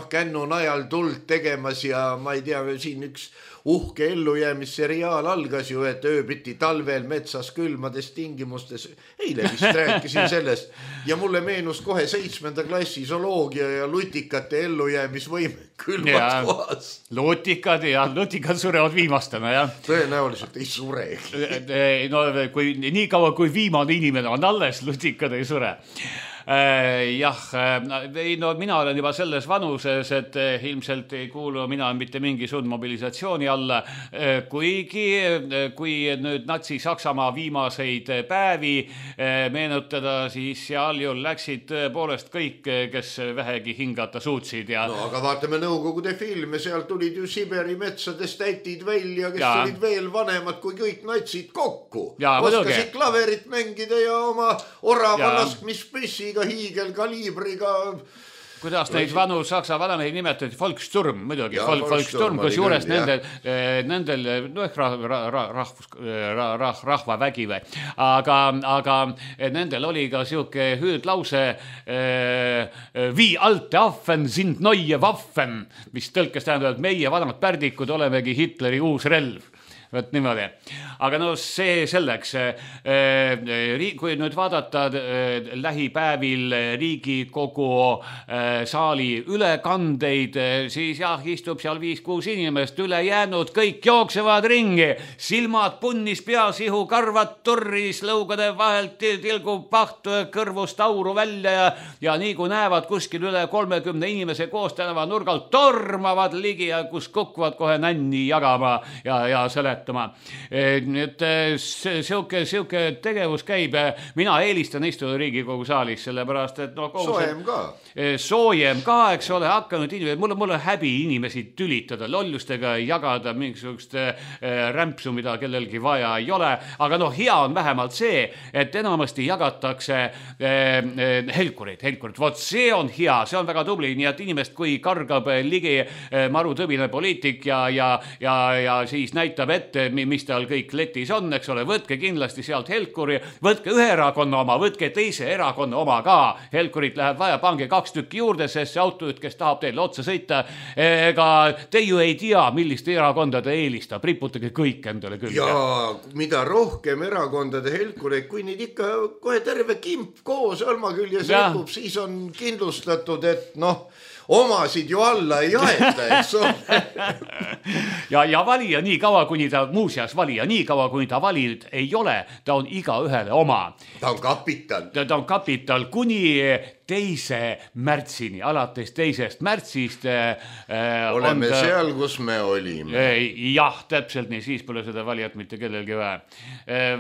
kännu najal tuld tegemas ja ma ei tea, siin üks uhke ellujäämisseriaal algas ju, et ööbiti talvel metsas külmades tingimustes. Eile vist rääkisin sellest ja mulle meenus kohe 7. klassi zooloogia ja lutikate ellujäämisvõime külmas kohas. Lutikad surevad viimastena, jah. Tõenäoliselt ei suregi. No nii kaua, kui viimane inimene on alles, lutikad ei sure. Jah, no mina olen juba selles vanuses, et ilmselt ei kuulu mina mitte mingisugune mobilisatsiooni alla, kuigi kui nüüd Natsi-Saksamaa viimaseid päevi meenutada, siis seal ju läksid tõepoolest kõik, kes vähegi hingata suutsid. No aga vaatame Nõukogude filme, seal tulid ju Siberi metsades täitid välja, kes olid veel vanemad kui kõik natsid kokku. Oskasid klaverit mängida ja oma orava laskmispüssiga hiigelkaliibriga kuidas neid vanu saksa vanamehi nimetati, Volkssturm muidugi, Volkssturm, kus juures nendel rahvavägi või, aga nendel oli ka siuke hüüdlause wie alte Affen sind neue Waffen, mis tõlkes tähendab, et meie vanad pärdikud olemegi Hitleri uus relv. Võt niimoodi. Aga no see selleks, kui nüüd vaadata lähipäevil Riigikogu saali ülekandeid, siis jah, istub seal 5-6 inimest, ülejäänud kõik jooksevad ringi, silmad punnis, peasihu, karvad turris, lõugade vahelt tilgub paht kõrvust auru välja ja nii kui näevad kuskil üle 30 inimese koos tänava nurgal, tormavad ligi ja kus kukuvad kohe nänni jagama ja selle nii et siuke tegevus käib. Mina eelistan istuda Riigikogu saalis, sellepärast, et soojem ka, eks ole, hakanud inimesed, mul on häbi inimesi tülitada, lollustega jagada mingisugust rämpsu, mida kellelgi vaja ei ole, aga hea on vähemalt see, et enamasti jagatakse helkureid, vot see on hea, see on väga tubli, nii et inimest, kui kargab ligi marutõbine poliitik ja siis näitab ette, mis tal kõik letis on, eks ole, võtke kindlasti sealt helkuri, võtke ühe erakonna oma, võtke teise erakonna oma ka, helkurit läheb vaja, pange 2 tükki juurde, sest see autojuht, kes tahab teile otsa sõita, ega te ju ei tea, millist erakonda te eelistab, riputage kõik endale küll. Ja mida rohkem erakondade helkureid, kui neid ikka kohe terve kimp koos almaküljes ripub, siis on kindlustatud, et omasid ju alla ei jaeta, eks ole. ja valija nii kaua, kuni ta muuseas valija, nii kaua, kuni ta valid ei ole, ta on iga ühele oma. Ta on kapital. Ta on kapital kuni 2. märtsini, alates 2. märtsist. Oleme seal, kus me olime. Jah, täpselt nii, siis pole seda valijat mitte kellelgi vaja.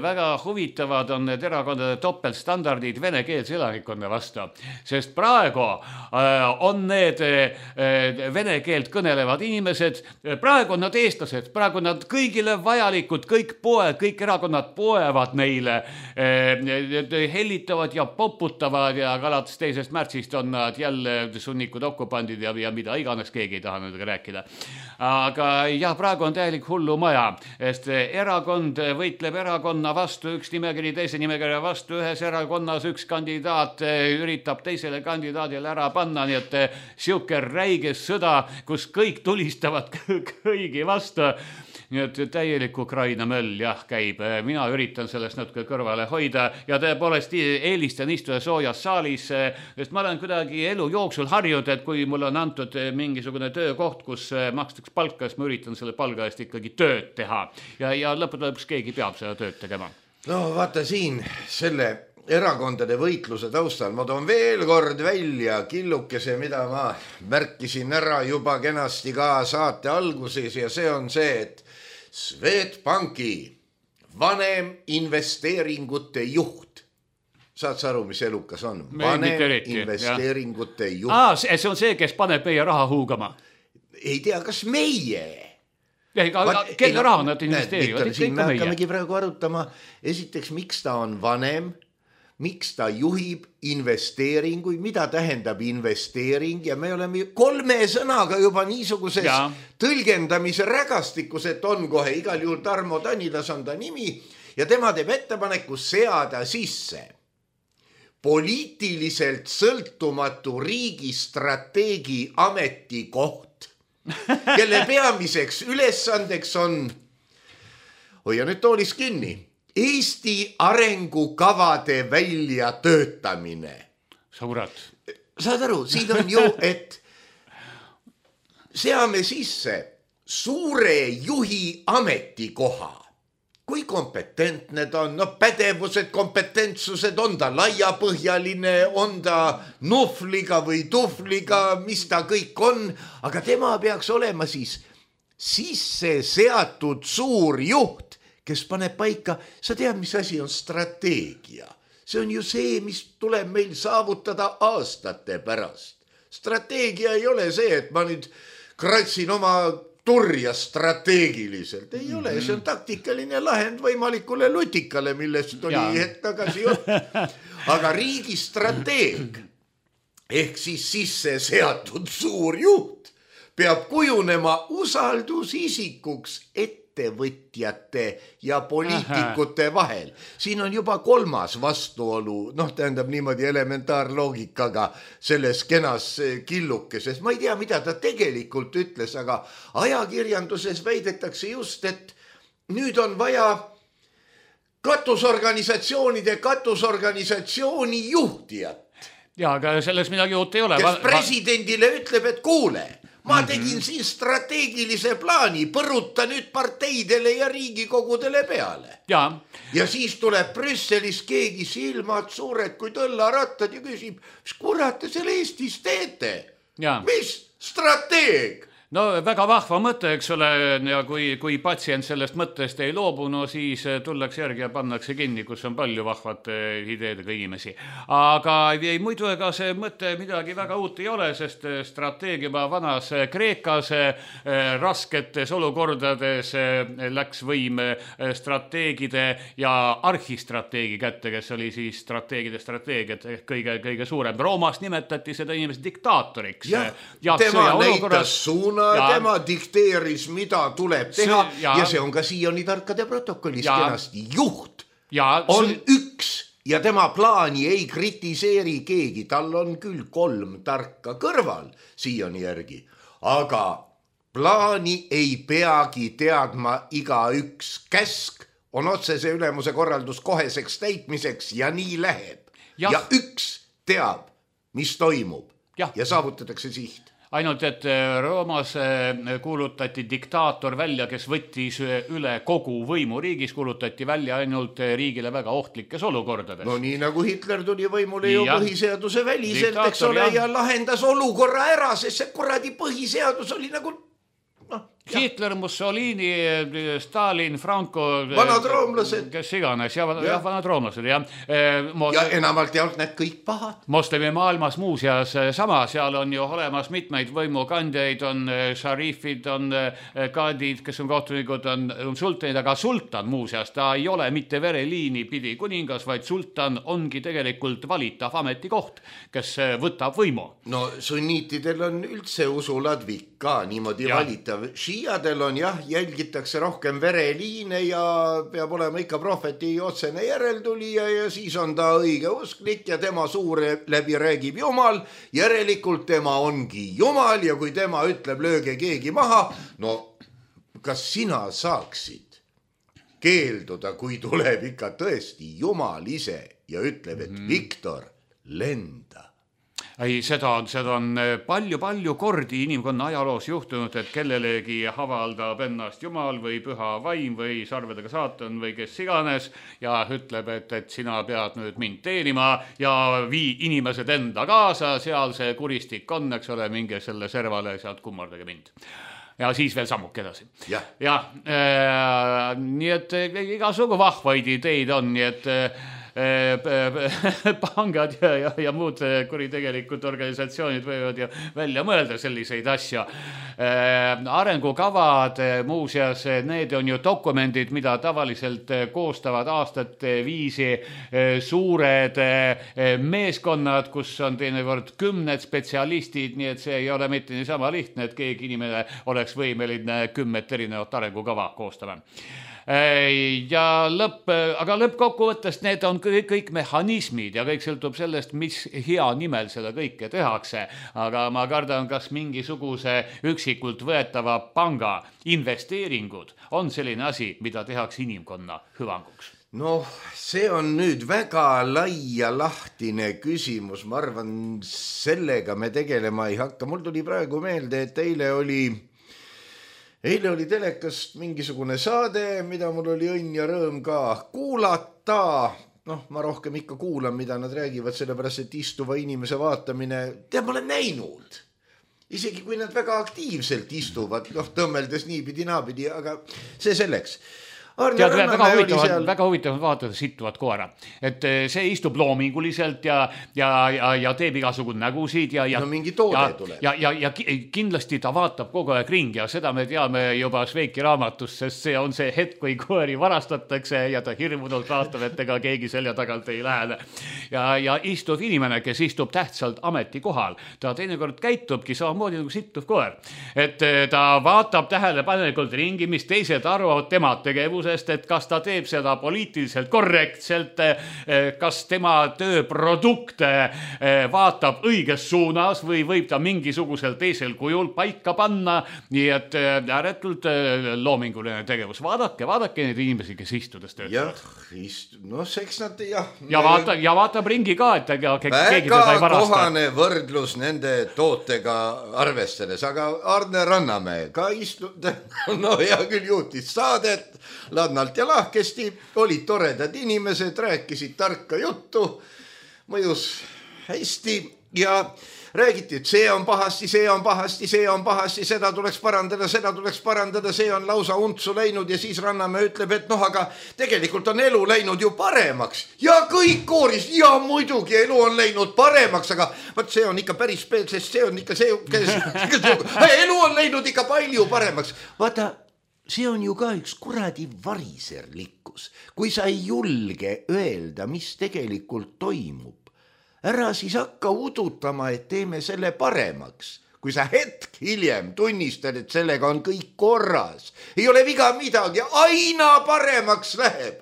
Väga huvitavad on need erakondade topeltstandardid venekeelse elanikkonna vastu, sest praegu on need vene keelt kõnelevad inimesed, praegu on nad eestlased, praegu on nad kõigile vajalikud, kõik erakonnad poevad neile, hellitavad ja poputavad ja alates 2. märtsist on nad jälle sunnikud okupandid ja mida iganes, keegi ei taha nendega rääkida. Aga jah, praegu on täielik hullumaja, sest erakond võitleb erakonna vastu, üks nimekiri teise nimekirja vastu, ühes erakonnas üks kandidaat üritab teisele kandidaadile ära panna, nii et siuke räige sõda, kus kõik tulistavad kõigi vastu. Nii et täielik Ukraina möll jah käib. Mina üritan sellest natuke kõrvale hoida ja tõepoolest eelistan istuda soojas saalis, sest ma olen kuidagi elu jooksul harjunud, et kui mul on antud mingisugune töökoht, kus makstakse palka, siis ma üritan selle palga eest ikkagi tööd teha ja lõpuks keegi peab seda tööd tegema. No vaata siin selle erakondade võitluse taustal ma toon veel kord välja killukese, mida ma märkisin ära juba kenasti ka saate alguses ja see on see, et Swedbanki vanem investeeringute juht. Saad sa aru, mis elukas on? Vanem investeeringute juht. See on see, kes paneb meie raha huugama. Ei tea, kas meie? Kelle raha nad investeerivad? Siin me hakkamegi praegu arutama. Esiteks, miks ta on vanem? Miks ta juhib investeeringuid, mida tähendab investeering ja me oleme 3 sõnaga juba niisuguses tõlgendamise rägastikus, et on kohe igal juhul Tarmo Tanilas on ta nimi ja tema teeb ettepaneku seada sisse poliitiliselt sõltumatu riigi strateegi ametikoht, kelle peamiseks ülesandeks on, hoia nüüd toolis kinni, Eesti arengukavade väljatöötamine. Sõbrad. Saad aru, siin on ju, et seame sisse suure juhi ametikoha. Kui kompetentne ta on, pädevused, kompetentsused, on ta laiapõhjaline, on ta nuhvliga või tuhvliga, mis ta kõik on, aga tema peaks olema siis sisse seatud suur juht, kes paneb paika, sa tead, mis asi on strateegia. See on ju see, mis tuleb meil saavutada aastate pärast. Strateegia ei ole see, et ma nüüd kratsin oma turja strateegiliselt. Ei ole, see on taktikaline lahend võimalikule lutikale, millest oli hetk tagasi jutt. Aga riigi strateeg ehk siis sisse seatud suur juht peab kujunema usaldusisikuks ettevõtjate ja poliitikute vahel. Siin on juba 3. vastuolu, tähendab niimoodi elementaarloogikaga selles kenas killukeses. Ma ei tea, mida ta tegelikult ütles, aga ajakirjanduses väidetakse just, et nüüd on vaja katusorganisatsiooni juhtijat. Ja, aga selles midagi uut ei ole. Kes presidendile ütleb, et kuule, ma tegin siin strateegilise plaani, põruta nüüd parteidele ja riigikogudele peale. Ja siis tuleb Brüsselis keegi silmad suured kui tõllarattad ja küsib, mis kurat te selle Eestis teete? Mis strateeg? No väga vahva mõte, eks ole, ja kui patsient sellest mõttest ei loobu, no siis tullakse järgi ja pannakse kinni, kus on palju vahvate ideedega inimesi. Aga muidu ega see mõte midagi väga uut ei ole, sest strateegia vanas Kreekas rasketes olukordades läks võim strateegide ja arhistrateegi kätte, kes oli siis strateegide strateegiat kõige suurem. Roomas nimetati seda inimest diktaatoriks. Tema näitas suuna. Tema dikteeris, mida tuleb teha ja see on ka siiani tarkade protokollis kenasti. Juht on üks ja tema plaani ei kritiseeri keegi. Tal on küll 3 tarka kõrval siiani järgi, aga plaani ei peagi teadma igaüks. Käsk on otsese ülemuse korraldus koheseks täitmiseks ja nii läheb. Ja üks teab, mis toimub ja saavutatakse siht. Ainult, et Roomas kuulutati diktaator välja, kes võttis üle kogu võimu riigis, kuulutati välja ainult riigile väga ohtlikes olukordades. No nii nagu Hitler tuli võimule ju põhiseaduse väliselt, eks ole, ja lahendas olukorra ära, sest see kuradi põhiseadus oli nagu... Hitler, Mussolini, Stalin, Franco, vanad roomlased, kes iganes, vanad roomlased, ja enamalt jaolt need kõik pahad. Moslemi maailmas muuseas sama, seal on ju olemas mitmeid võimukandjaid, on šarifid, on kaadid, kes on kohtunikud, on sultanid, aga sultan muuseas, ta ei ole mitte vereliini pidi kuningas, vaid sultan ongi tegelikult valitav ametikoht, kes võtab võimu. No sunniitidel on üldse usuladvik ka niimoodi valitav. Šiiadel on jälgitakse rohkem vereliine ja peab olema ikka prohveti otsene järeltulija ja siis on ta õige usklik ja tema suure läbi räägib Jumal, järelikult tema ongi Jumal ja kui tema ütleb lööge keegi maha, no kas sina saaksid keelduda, kui tuleb ikka tõesti Jumal ise ja ütleb, et Viktor, lenda? Ei, seda on palju kordi inimkonna ajaloos juhtunud, et kellelegi avaldab ennast Jumal või püha vaim või sarvedega saatan või kes iganes ja ütleb, et sina pead nüüd mind teenima ja vii inimesed enda kaasa, seal see kuristik on, eks ole, minge selle servale, sealt kummardage mind. Ja siis veel sammuk edasi. Nii et igasugu vahvaid ideid on, nii et pangad ja muud kuritegelikud organisatsioonid võivad ju välja mõelda selliseid asja. Arengukavad muuseas, need on ju dokumendid, mida tavaliselt koostavad aastate viisi suured meeskonnad, kus on teinekord 10 spetsialistid, nii et see ei ole mitte niisama lihtne, et keegi inimene oleks võimeline 10 erinevat arengukava koostama. Aga lõppkokkuvõttest need on kõik mehhanismid ja kõik sõltub sellest, mis hea nimel seda kõike tehakse. Aga ma kardan, kas mingisuguse üksikult võetava panga investeeringud on selline asi, mida tehakse inimkonna hüvanguks. No see on nüüd väga lai ja lahtine küsimus. Ma arvan, sellega me tegelema ei hakka. Mul tuli praegu meelde, et eile oli telekast mingisugune saade, mida mul oli õnn ja rõõm ka kuulata. Ma rohkem ikka kuulan, mida nad räägivad, sellepärast, et istuva inimese vaatamine, ma olen näinud. Isegi kui nad väga aktiivselt istuvad, tõmmeldes niipidi naapidi, aga see selleks. tead, väga huvitav vaadata sittuvat koera, et see istub loominguliselt ja teeb igasugune nägusid ja mingi toode tuleb. Ja kindlasti ta vaatab kogu aeg ringi ja seda me teame juba Šveiki raamatust, sest see on see hetk, kui koeri varastatakse ja ta hirmunult vaatab, et ega keegi selja tagant ei lähene. Ja istub inimene, kes istub tähtsalt ametikohal, ta teinekord käitubki samamoodi nagu sittuv koer, et ta vaatab tähelepanelikult ringi, mis teised arvavad tema tegevuse, et kas ta teeb seda poliitiliselt korrektselt, kas tema tööprodukte vaatab õiges suunas või võib ta mingisugusel teisel kujul paika panna, nii et ääretult loominguline tegevus. Vaadake neid inimesi, kes istudes töötavad. Eks nad ja vaatab ringi ka, et keegi teda ei varasta. Väga kohane võrdlus nende tootega arvestades, aga Arne Rannamäe ka hea küll juhtis saadet ladnalt ja lahkesti, olid toredad inimesed, rääkisid tarka juttu, mõjus hästi ja räägiti, et see on pahasti, seda tuleks parandada, see on lausa untsu läinud ja siis Rannamäe ütleb, et aga tegelikult on elu läinud ju paremaks ja kõik kooris, ja muidugi elu on läinud paremaks, aga vaat see on ikka päris sest see on ikka elu on läinud ikka palju paremaks. Vaata, see on ju ka üks kuradi variserlikkus, kui sa ei julge öelda, mis tegelikult toimub. Ära siis hakka udutama, et teeme selle paremaks. Kui sa hetk hiljem tunnistad, et sellega on kõik korras, ei ole viga midagi, aina paremaks läheb.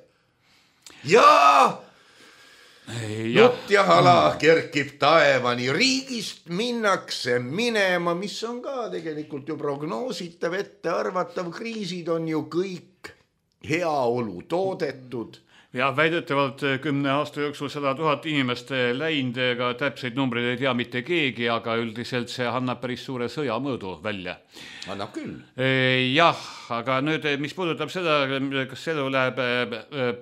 Jutt ja hala kerkib taevani, riigist minnakse minema, mis on ka tegelikult ju prognoositav, ettearvatav, kriisid on ju kõik heaolu toodetud. Ja väidetavalt 10 aasta jooksul 100 000 inimest läinud, ega täpseid numbreid ei tea mitte keegi, aga üldiselt see annab päris suure sõjamõõdu välja. Annab küll. Jah, aga nüüd, mis puudutab seda, kas elu läheb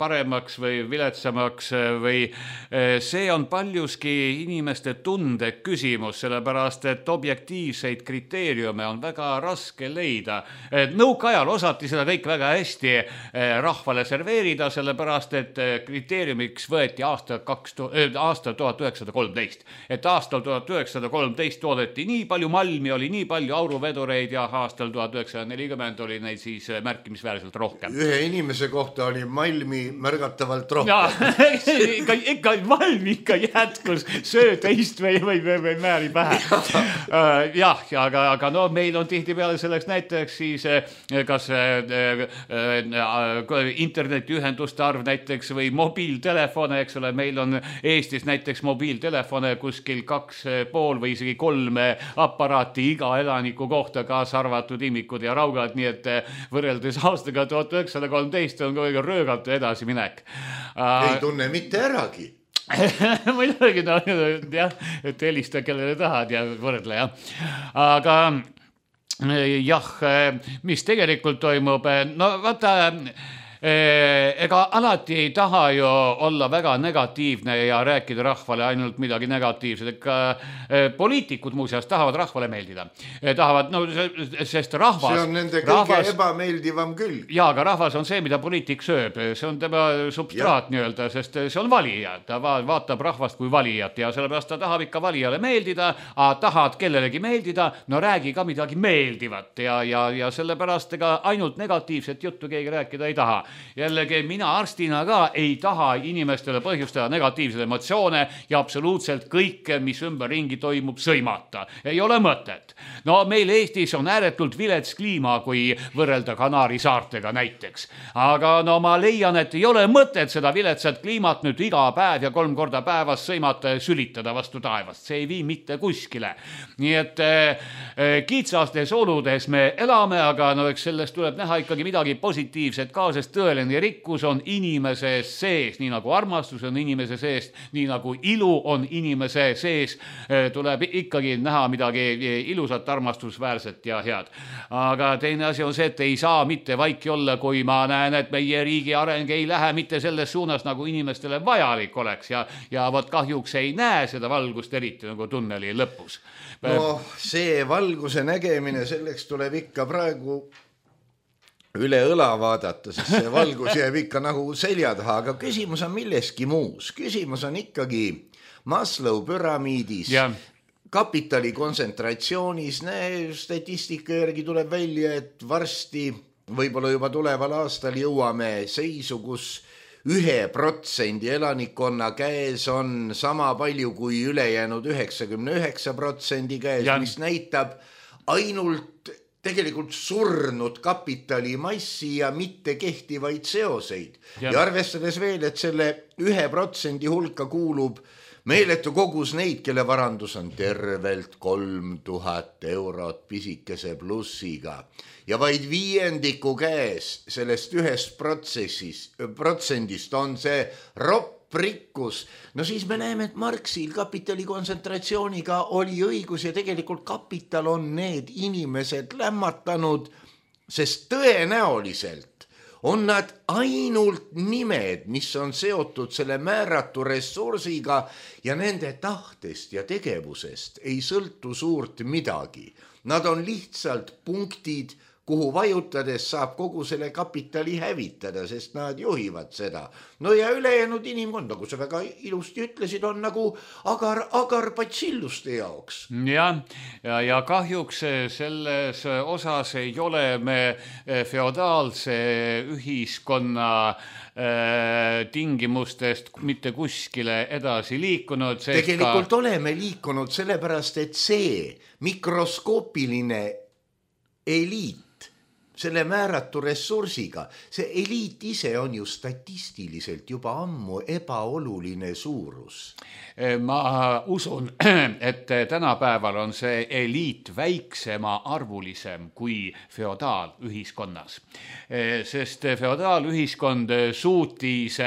paremaks või viletsamaks või see on paljuski inimeste tunde küsimus, sellepärast, et objektiivseid kriteeriume on väga raske leida. Nõukaajal osati seda kõik väga hästi rahvale serveerida, sellepärast, et kriteeriumiks võeti aasta 1913. Et aastal 1913 toodeti nii palju malmi, oli nii palju auruvedureid ja aastal 1940 oli neid siis märkimisväärselt rohkem. Ühe inimese kohta oli malmi märgatavalt rohkem. Ja, ikka malmi ikka jätkus, söö teist või määri pähe. Jah, aga no meil on tihtipeale selleks näiteks siis kas internetiühenduste arv näiteks või mobiiltelefone, eks ole, meil on Eestis näiteks mobiiltelefone kuskil 2,5 või isegi 3 aparaati iga elaniku kohta, kaasa arvatud imikud ja raugad, nii et võrreldes aastaga 1913 on kõige röögalt edasi minek. Ei tunne mitte äragi. Muidugi, jah, et helista kellele tahad ja võrdle, jah. Aga jah, mis tegelikult toimub, no vaata, ega alati ei taha ju olla väga negatiivne ja rääkida rahvale ainult midagi negatiivset, ega poliitikud muuseas tahavad rahvale meeldida. Tahavad, no sest rahvas... See on nende kõige ebameeldivam küll. Jaa, aga rahvas on see, mida poliitik sööb. See on tema substraat nii-öelda, sest see on valija. Ta vaatab rahvast kui valijat ja sellepärast ta tahab ikka valijale meeldida, aga tahad kellelegi meeldida, no räägi ka midagi meeldivat ja sellepärast ega ainult negatiivset juttu keegi rääkida ei taha. Jällegi mina arstina ka ei taha inimestele põhjustada negatiivseid emotsioone ja absoluutselt kõike, mis ümberringi toimub, sõimata. Ei ole mõtet. No meil Eestis on ääretult vilets kliima, kui võrrelda Kanaari saartega näiteks. Aga no ma leian, et ei ole mõtet seda viletsat kliimat nüüd iga päev ja 3 korda päevas sõimata ja sülitada vastu taevast. See ei vii mitte kuskile. Nii et kitsastes oludes me elame, aga no eks sellest tuleb näha ikkagi midagi positiivset ka, sest tõeline rikkus on inimese sees, nii nagu armastus on inimese sees, nii nagu ilu on inimese sees, tuleb ikkagi näha midagi ilusat, armastusväärset ja head. Aga teine asi on see, et ei saa mitte vaiki olla, kui ma näen, et meie riigi areng ei lähe mitte selles suunas, nagu inimestele vajalik oleks ja võt kahjuks ei näe seda valgust eriti nagu tunneli lõpus. No see valguse nägemine, selleks tuleb ikka praegu üle õla vaadata, sest see valgus jääb ikka nagu selja taha, aga küsimus on milleski muus. Küsimus on ikkagi Maslow püramiidis, kapitali kontsentratsioonis. Statistika järgi tuleb välja, et varsti, võib-olla juba tuleval aastal jõuame seisu, kus 1% elanikkonna käes on sama palju kui ülejäänud 99% käes, mis näitab ainult tegelikult surnud kapitalimassi ja mitte kehtivaid seoseid. Ja arvestades veel, et selle 1% hulka kuulub meeletu kogus neid, kelle varandus on tervelt 3000 eurot pisikese plussiga ja vaid 5% käes sellest 1% on see ropp rikkus. No siis me näeme, et Marxil kapitali kontsentratsiooniga oli õigus ja tegelikult kapital on need inimesed lämmatanud, sest tõenäoliselt on nad ainult nimed, mis on seotud selle määratu ressursiga ja nende tahtest ja tegevusest ei sõltu suurt midagi. Nad on lihtsalt punktid, kuhu vajutades saab kogu selle kapitali hävitada, sest nad juhivad seda. No ja ülejäänud inimkond, nagu sa väga ilusti ütlesid, on nagu agar patsilluste jaoks. Ja kahjuks selles osas ei ole me feodaalse ühiskonna tingimustest mitte kuskile edasi liikunud. Tegelikult oleme liikunud sellepärast, et see mikroskoopiline eliit, selle määratu ressursiga, see eliit ise on ju statistiliselt juba ammu ebaoluline suurus. Ma usun, et tänapäeval on see eliit väiksema arvulisem kui feodaalühiskonnas. Sest feodaalühiskond suutis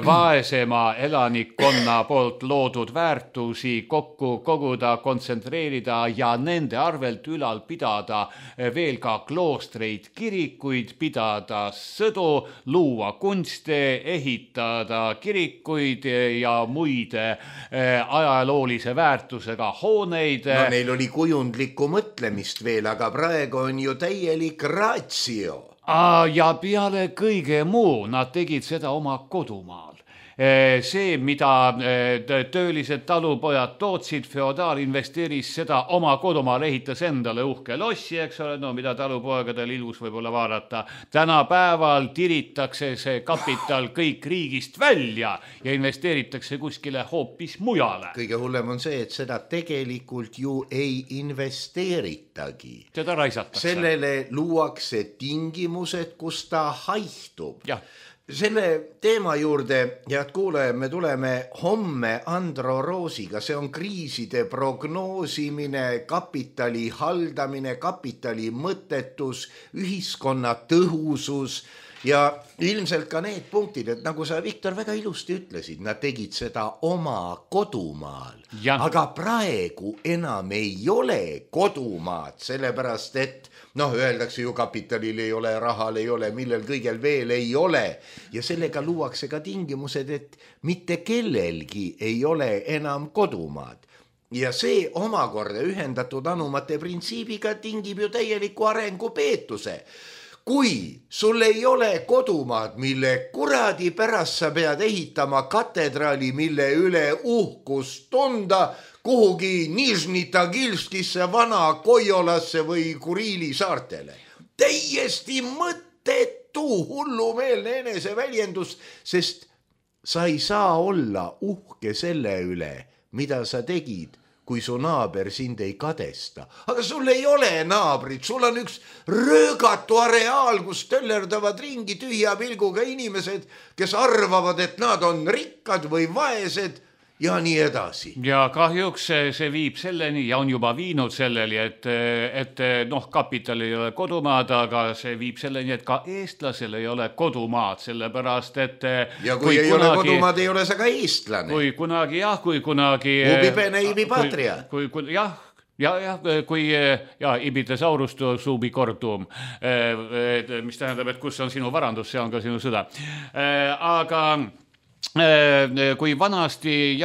vaesema elanikkonna poolt loodud väärtusi kokku koguda, kontsentreerida ja nende arvelt ülal pidada veel ka kloostreid, kirikuid, pidada sõdu, luua kunste, ehitada kirikuid ja muid ajaloolise väärtusega hooneid. No neil oli kujundlikku mõtlemist veel, aga praegu on ju täielik ratio. Ja peale kõige muu nad tegid seda oma kodumaal. See, mida töölised talupojad tootsid, feodaal investeeris seda oma kodumaal, ehitas endale uhke lossi, eks ole, no mida talupoegadel ilus võib-olla vaadata. Tänapäeval tiritakse see kapital kõik riigist välja ja investeeritakse kuskile hoopis mujale. Kõige hullem on see, et seda tegelikult ju ei investeeritagi. Seda raisatakse. Sellele luuakse tingimused, kus ta haihtub. Selle teema juurde, head kuulajad, me tuleme homme Andro Roosiga. See on kriiside prognoosimine, kapitali haldamine, kapitali mõttetus, ühiskonna tõhusus ja ilmselt ka need punktid, et nagu sa, Viktor, väga ilusti ütlesid, nad tegid seda oma kodumaal. Aga praegu enam ei ole kodumaad, sellepärast et öeldakse ju kapitalil ei ole, rahal ei ole, millel kõigel veel ei ole. Ja sellega luuakse ka tingimused, et mitte kellelgi ei ole enam kodumaad. Ja see omakorda ühendatud anumate printsiibiga tingib ju täieliku arengupeetuse. Kui sul ei ole kodumaad, mille kuradi pärast sa pead ehitama katedraali, mille üle uhkust tunda, kuhugi Nižni Tagilskisse, Vana Kojolasse või Kuriili saartele. Täiesti mõttetu hullumeelne eneseväljendus, sest sa ei saa olla uhke selle üle, mida sa tegid, kui su naaber sind ei kadesta. Aga sul ei ole naabrit, sul on üks röögatu areaal, kus töllerdavad ringi tühja pilguga inimesed, kes arvavad, et nad on rikkad või vaesed ja nii edasi. Ja kahjuks see viib selleni ja on juba viinud selleni, et kapital ei ole kodumaad, aga see viib selleni, et ka eestlasel ei ole kodumaad, sellepärast et ja kui ei ole kodumaad, ei ole sa ka eestlane. Kui kunagi ubi bene ibi patria. Kui ibitesaurus suubi kordum, mis tähendab, et kus on sinu varandus, see on ka sinu sõda. Aga kui vanasti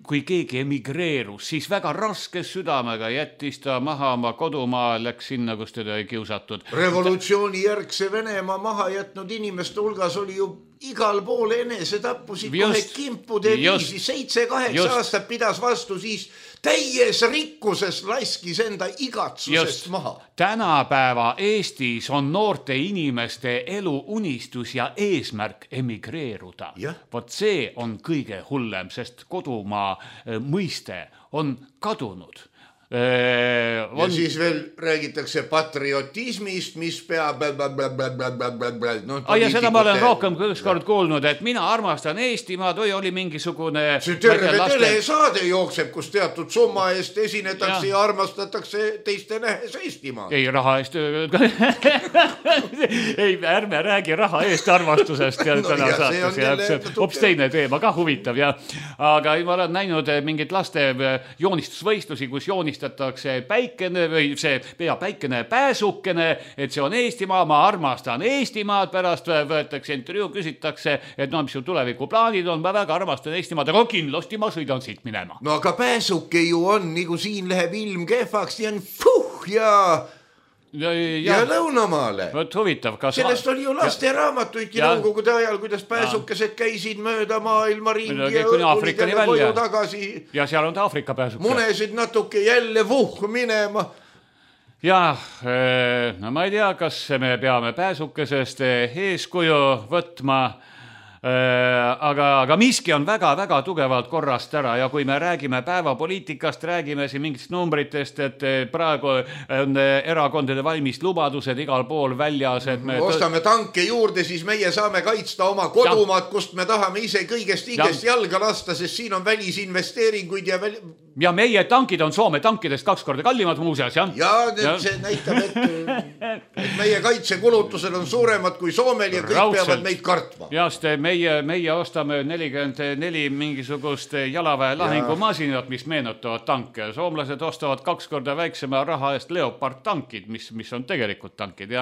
kui keegi emigreerus, siis väga raske südamega jättis ta maha oma kodumaa, läks sinna, kus teda ei kiusatud. Revolutsiooni järgse Venemaa maha jätnud inimeste hulgas oli ju igal pool enesetappusid kohe kimpude viisi, 7-8 aastat pidas vastu, siis täies rikkuses laskis enda igatsusest maha. Tänapäeva Eestis on noorte inimeste elu unistus ja eesmärk emigreeruda. Vot see on kõige hullem, sest kodumaa mõiste on kadunud. Ja siis veel räägitakse patriotismist, mis peab ja seda ma olen rohkem ükskord kuulnud, et mina armastan Eestimaad või oli mingisugune see terve telesaade jookseb, kus teatud summa eest esinetakse ja armastatakse teiste nähes Eestimaad. Ei, raha eest ei, ärme räägi raha eest armastusest täna saates, hoopis teine teema ka huvitav aga ma olen näinud mingit laste joonistusvõistlusi, kus joonistatakse päikene või see päikene pääsukene, et see on Eestimaa, ma armastan Eestimaad, pärast võetakse intervjuu, küsitakse, et mis su tulevikuplaanid on, ma väga armastan Eestimaad, aga kindlasti ma sõidan siit minema. No aga pääsuke ju on, nagu siin läheb ilm kehvaks, ja ja lõunamaale. Võt huvitav, kas... Sellest oli ju laste raamatuidki nõukogude ajal, kuidas pääsukesed käisid mööda maailma ringi ja tulid jälle koju tagasi. Ja seal on ta Afrika pääsuke. Munesid natuke jälle minema. No ma ei tea, kas me peame pääsukesest eeskuju võtma, aga miski on väga-väga tugevalt korrast ära ja kui me räägime päevapoliitikast, räägime siin mingitest numbritest, et praegu on erakondade valmis lubadused igal pool väljas, et me ostame tanke juurde, siis meie saame kaitsta oma kodumaad, kust me tahame ise kõigest jalga lasta, sest siin on välisinvesteeringuid ja meie tankid on Soome tankidest 2 korda kallimad muuseas, see näitab, et meie kaitsekulutused on suuremad kui Soomel ja kõik peavad meid kartma. Meie ostame 44 mingisugust jalaväe lahingumasinat, mis meenutavad tanke. Soomlased ostavad 2 korda väiksema raha eest Leopard tankid, mis on tegelikult tankid.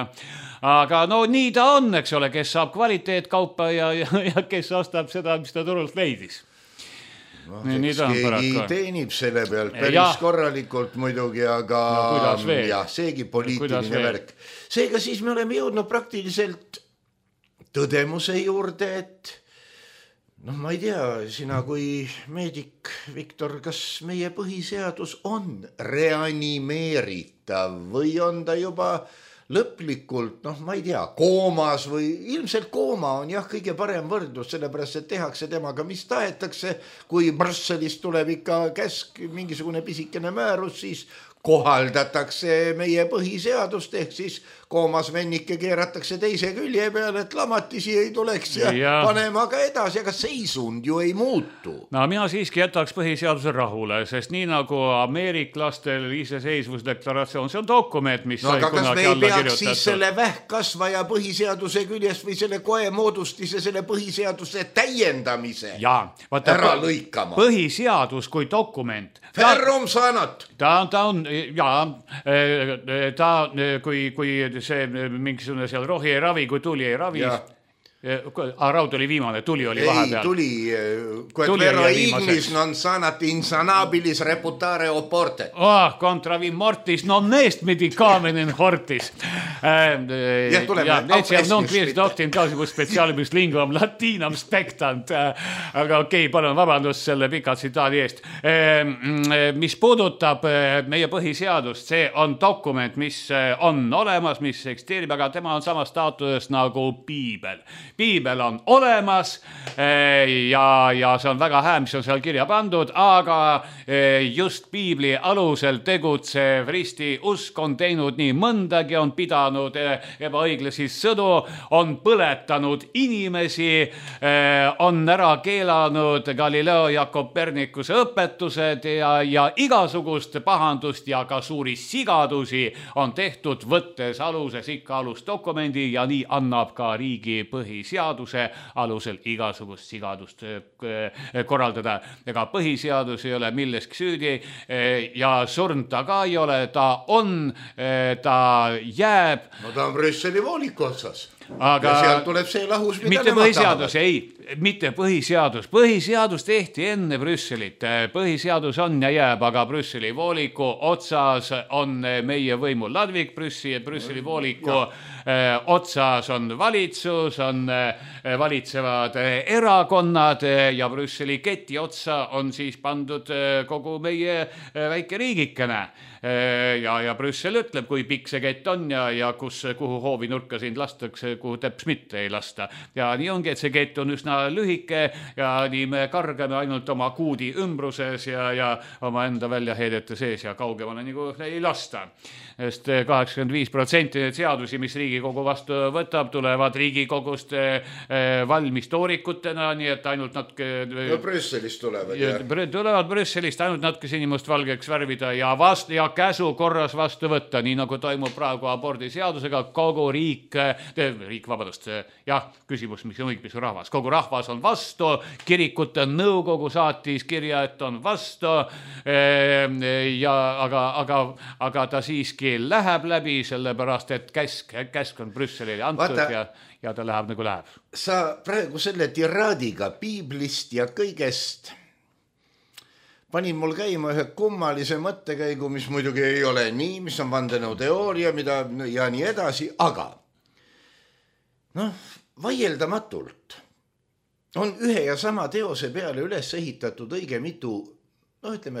Aga no nii ta on, eks ole, kes saab kvaliteetkaupa ja kes ostab seda, mis ta turult leidis. Keegi teenib selle pealt päris korralikult muidugi, aga seegi poliitiline värk. Seega siis me oleme jõudnud praktiliselt tõdemuse juurde, et ma ei tea, sina kui meedik, Viktor, kas meie põhiseadus on reanimeeritav või on ta juba lõplikult, ma ei tea, koomas või ilmselt kooma on kõige parem võrdlus, sellepärast, et tehakse temaga, mis tahetakse, kui Brüsselist tuleb ikka käsk, mingisugune pisikene määrus, siis kohaldatakse meie põhiseadust, ehk siis koomas vennike keeratakse teise külje peale, et lamatisi ei tuleks ja panema ka edasi, aga seisund ju ei muutu. No mina siiski jätaks põhiseaduse rahule, sest nii nagu ameeriklastel iseseisvusdeklaratsioon, see on dokument, mis sai aga kas kunagi me ei alla peaks kirjutatud. Siis selle vähkkasvaja põhiseaduse küljest või selle koe moodustise, selle põhiseaduse täiendamise ära lõikama? Põhiseadus kui dokument. Ferrum sanat. Ta on, kui see mingisugune seal rohi ei ravi, kui tuli ei ravi. Raud oli viimane, tuli oli vahepeal. Ei, tuli. Ignis non sanat insanabilis reputare oporte. Contra vi mortis non est medicamenin hortis. Etiam non quies doctin causibus specialibus linguam latinam spectant. Aga okei, palun vabandust selle pika tsitaadi eest. Mis puudutab meie põhiseadust, see on dokument, mis on olemas, mis eksisteerib, aga tema on samas staatuses nagu piibel. Piibel on olemas ja see on väga hää, mis on seal kirja pandud, aga just piibli alusel tegutsev risti usk on teinud nii mõndagi, on pidanud ebaõiglasi sõdu, on põletanud inimesi, on ära keelanud Galileo ja Kopernikuse õpetused ja igasugust pahandust ja ka suuri sigadusi on tehtud, võttes aluses ikka alusdokumendi ja nii annab ka riigi põhiseaduse alusel igasugust sigadust korraldada. Ega põhiseadus ei ole milleski süüdi ja surnud ta ka ei ole, ta on, ta jääb. No ta on Brüsseli vooliku otsas. Aga ja sealt tuleb see lahus, mida mitte põhiseadus, mitte põhiseadus tehti enne Brüsselit. Põhiseadus on ja jääb, aga Brüsseli vooliku otsas on meie võimu ladvik, Brüsseli vooliku otsas on valitsus, on valitsevad erakonnad ja Brüsseli keti otsa on siis pandud kogu meie väike riigikene. Ja Brüssel ütleb, kui pikk see kett on ja kuhu hoovi nurka sind lastakse, kuhu teps mitte ei lasta. Ja nii ongi, et see kett on üsna lühike ja nii me kargame ainult oma kuudi ümbruses ja oma enda väljaheedete sees ja kaugemale nagu ei lasta. Sest 85% need seadusi, mis Riigikogu vastu võtab, tulevad Riigikogust valmis toorikutena, nii et ainult natuke... No Brüsselist tulevad, tulevad Brüsselist ainult natuke sinimustvalgeks värvida ja käsu korras vastu võtta, nii nagu toimub praegu abordiseadusega, kogu küsimus, mis on õigmis rahvas. Kogu rahvas on vastu, kirikute nõukogu saatis kirja, et on vastu, aga ta siiski läheb läbi, sellepärast, et käsk on Brüsselile antud ja ta läheb nagu läheb. Sa praegu selle tiraadiga piiblist ja kõigest panin mul käima ühe kummalise mõttekäigu, mis muidugi ei ole nii, mis on vandenõuteooria, mida ja nii edasi, aga vaieldamatult on ühe ja sama teose peale üles ehitatud õige mitu,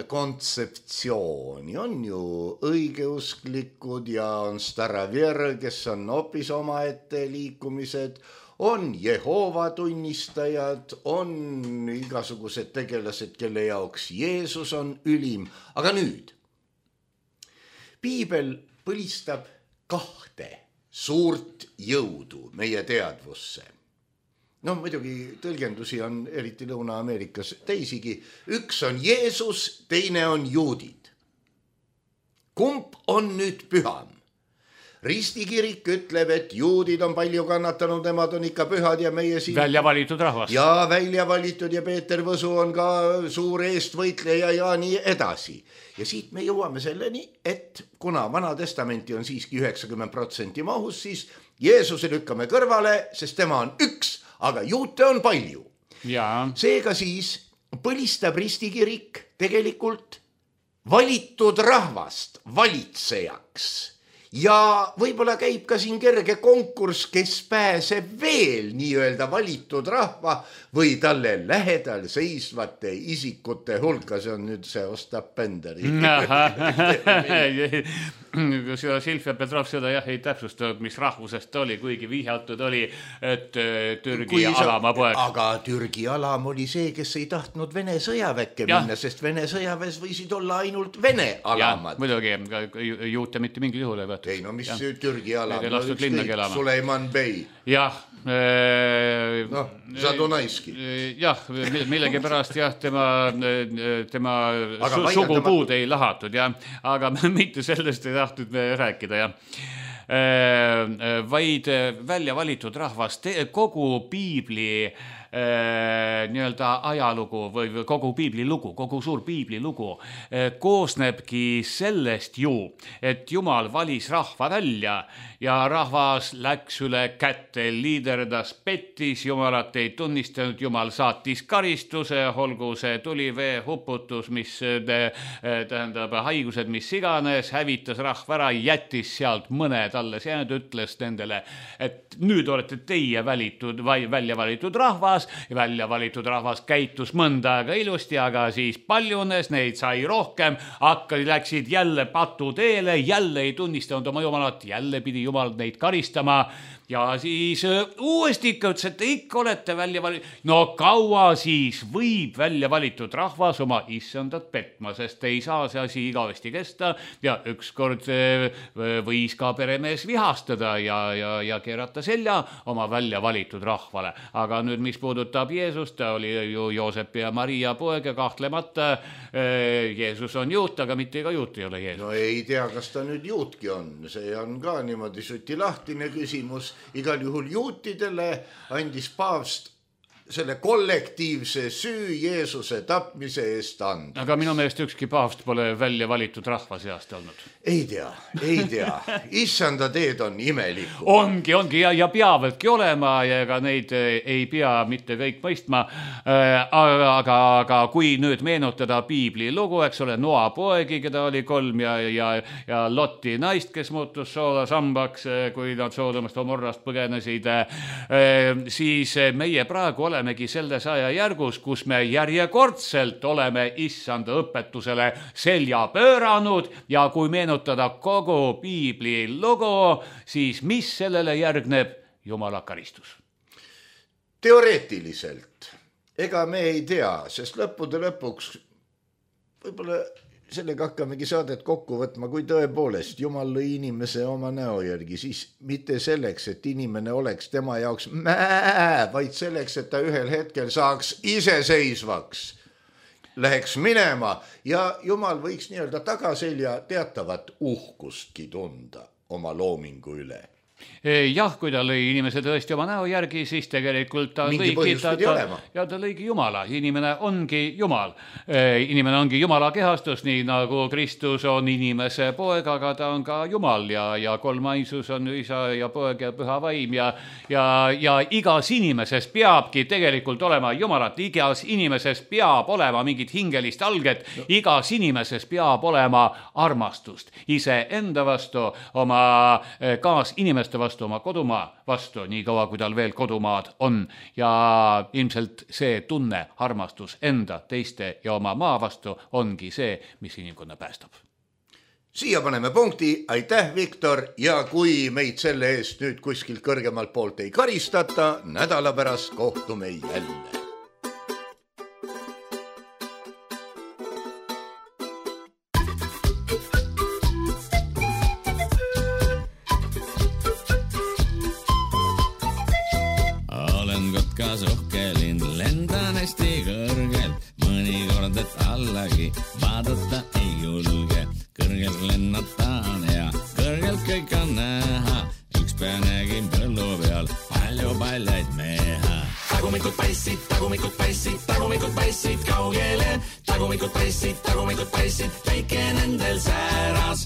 kontseptsiooni. On ju õigeusklikud ja on Staravver, kes on hoopis omaette liikumised, on Jehova tunnistajad, on igasugused tegelased, kelle jaoks Jeesus on ülim. Aga nüüd, piibel põlistab 2 suurt jõudu meie teadvusse. Muidugi tõlgendusi on eriti Lõuna-Ameerikas teisigi. Üks on Jeesus, teine on juudid. Kumb on nüüd püham? Ristikirik ütleb, et juudid on palju kannatanud, nemad on ikka pühad ja meie siin... Välja valitud rahvas. Ja välja valitud ja Peeter Võsu on ka suur eestvõitleja ja nii edasi. Ja siit me jõuame selleni, et kuna Vana Testamenti on siiski 90% mahus, siis Jeesuse lükkame kõrvale, sest tema on üks, aga juute on palju. Ja. Seega siis põlistab ristikirik tegelikult valitud rahvast valitsejaks. Ja võib-olla käib ka siin kerge konkurss, kes pääseb veel nii-öelda valitud rahva või talle lähedal seisvate isikute hulka. See on nüüd see Ostap Benderi. Silvia Petrov seda ei täpsustanud, mis rahvusest oli, kuigi vihjatud oli, et Türgi alama poeg. Aga Türgi alam oli see, kes ei tahtnud Vene sõjaväkke minna, sest Vene sõjaväes võisid olla ainult Vene alamad. Ja, muidugi, juute mitte mingil juhul ei võetud. Ei, no mis Türgi alam? Suleiman Bey. Jah. Zadonaiski. Jah, millegi pärast tema sugupuud ei lahatud, aga mitte sellest ei tahtnud me rääkida, vaid välja valitud rahvas, kogu piibli nii-öelda ajalugu või kogu piibli lugu, kogu suur piibli lugu koosnebki sellest ju, et Jumal valis rahva välja ja rahvas läks üle kätte, liiderdas, pettis, Jumalat ei tunnistanud, Jumal saatis karistuse, olgu see tulivee huputus, mis tähendab haigused, mis iganes, hävitas rahva ära, jättis sealt mõned alles jäänud, ütles nendele, et nüüd olete teie välja valitud rahvas, välja valitud rahvas käitus mõnda aega ilusti, aga siis paljunes, neid sai rohkem, läksid jälle patuteele, jälle ei tunnistanud oma Jumalat, jälle pidi Jumal neid karistama ja siis uuesti ikka ütles, et ikka olete välja valitud. No kaua siis võib välja valitud rahvas oma issandat petma, sest ei saa see asi igavesti kesta ja ükskord võis ka peremees vihastada ja keerata selja oma välja valitud rahvale. Aga nüüd, mis puudutab Jeesust, ta oli ju Joosep ja Maria poeg ja kahtlemata Jeesus on juut, aga mitte ega juut ei ole Jeesus. No ei tea, kas ta nüüd juutki on, see on ka niimoodi sutilahtine küsimus. Igal juhul juutidele andis paavst selle kollektiivse süü Jeesuse tapmise eest anda. Aga minu meelest ükski paavst pole välja valitud rahva seast olnud. Ei tea. Issanda teed on imelikud. Ongi ja peavadki olema ja ega neid ei pea mitte kõik mõistma. Aga kui nüüd meenutada piibli lugu, eks ole, Noa poegi, keda oli 3 ja Loti naist, kes muutus soolasambaks, kui nad Soodomast Gomorrast põgenesid, siis meie praegu olemegi selles ajajärgus, kus me järjekordselt oleme issanda õpetusele selja pööranud ja kui meenutada kogu piibli lugu, siis mis sellele järgneb? Jumala karistus. Teoreetiliselt. Ega me ei tea, sest lõppude lõpuks võib-olla sellega hakkamegi saadet kokku võtma, kui tõepoolest Jumal lõi inimese oma näo järgi, siis mitte selleks, et inimene oleks tema jaoks vaid selleks, et ta ühel hetkel saaks iseseisvaks, läheks minema ja Jumal võiks nii-öelda tagaselja teatavat uhkustki tunda oma loomingu üle. Jah, kui ta lõi inimese tõesti oma näo järgi, siis tegelikult ta lõigi Jumala. Inimene ongi Jumal. Inimene ongi Jumala kehastus, nii nagu Kristus on inimese poeg, aga ta on ka Jumal ja kolmainsus on isa ja poeg ja püha vaim ja igas inimeses peabki tegelikult olema Jumalat. Igas inimeses peab olema mingit hingelist alget. Igas inimeses peab olema armastust ise enda vastu, oma kaasinimeste vastu, oma kodumaa vastu, nii kaua kui tal veel kodumaad on ja ilmselt see tunne, armastus enda, teiste ja oma maa vastu ongi see, mis inimkonna päästab. Siia paneme punkti, aitäh Viktor ja kui meid selle eest nüüd kuskilt kõrgemalt poolt ei karistata, nädala pärast kohtume jälle. Vaadata ei julge, kõrgelt lennataan ja kõrgelt kõik on näha. Üks pea nägin põllu peal palju paljaid meha. Tagumikud paissid kaugele. Tagumikud paissid, väike nendel sääras.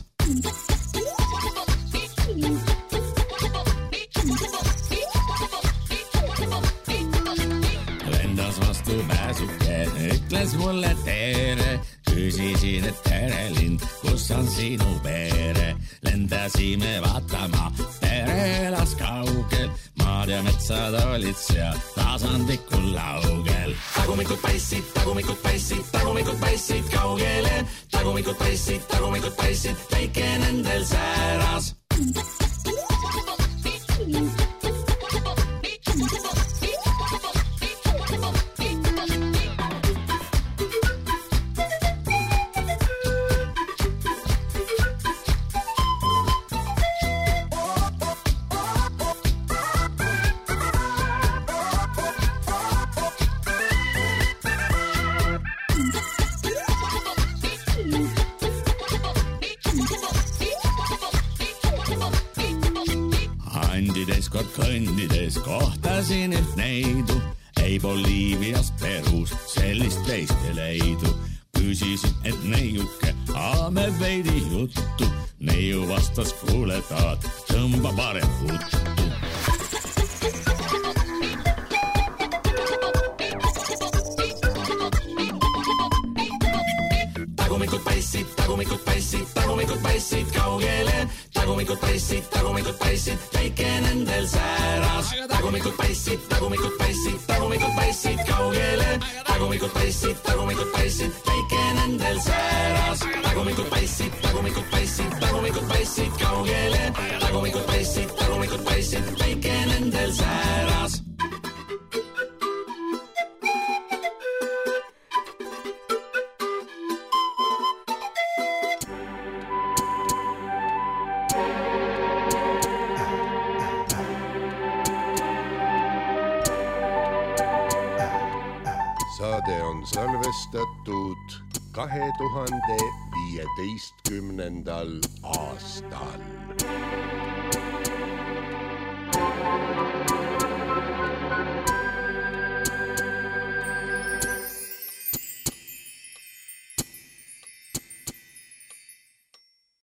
Lendas vastu pääsuke, ütles mulle tere. Küsisin, et tere lind, kus on sinu pere? Lendasime vaatama, pere elas kaugel. Maad ja metsad olid seal tasandikul laugel. Tagumikud paissid kaugele. Tagumikud paissid, väike nendel sääras. Kõndides kohtasin üht neidu, ei Boliivias, Perus, sellist teist ei leidu. Küsisin, et neiuke, me veidi juttu. Neiu vastas, kuule taad, tõmba parem huttu. Tagumikud paissid kaugele. Tagumikud paissid, väike nendel sääras. Tagumikud paissid kaugele. Tagumikud paissid, väike nendel sääras. Tagumikud paissid kaugele. Tagumikud paissid, väike nendel sääras. Saade on salvestatud 2015. aastal.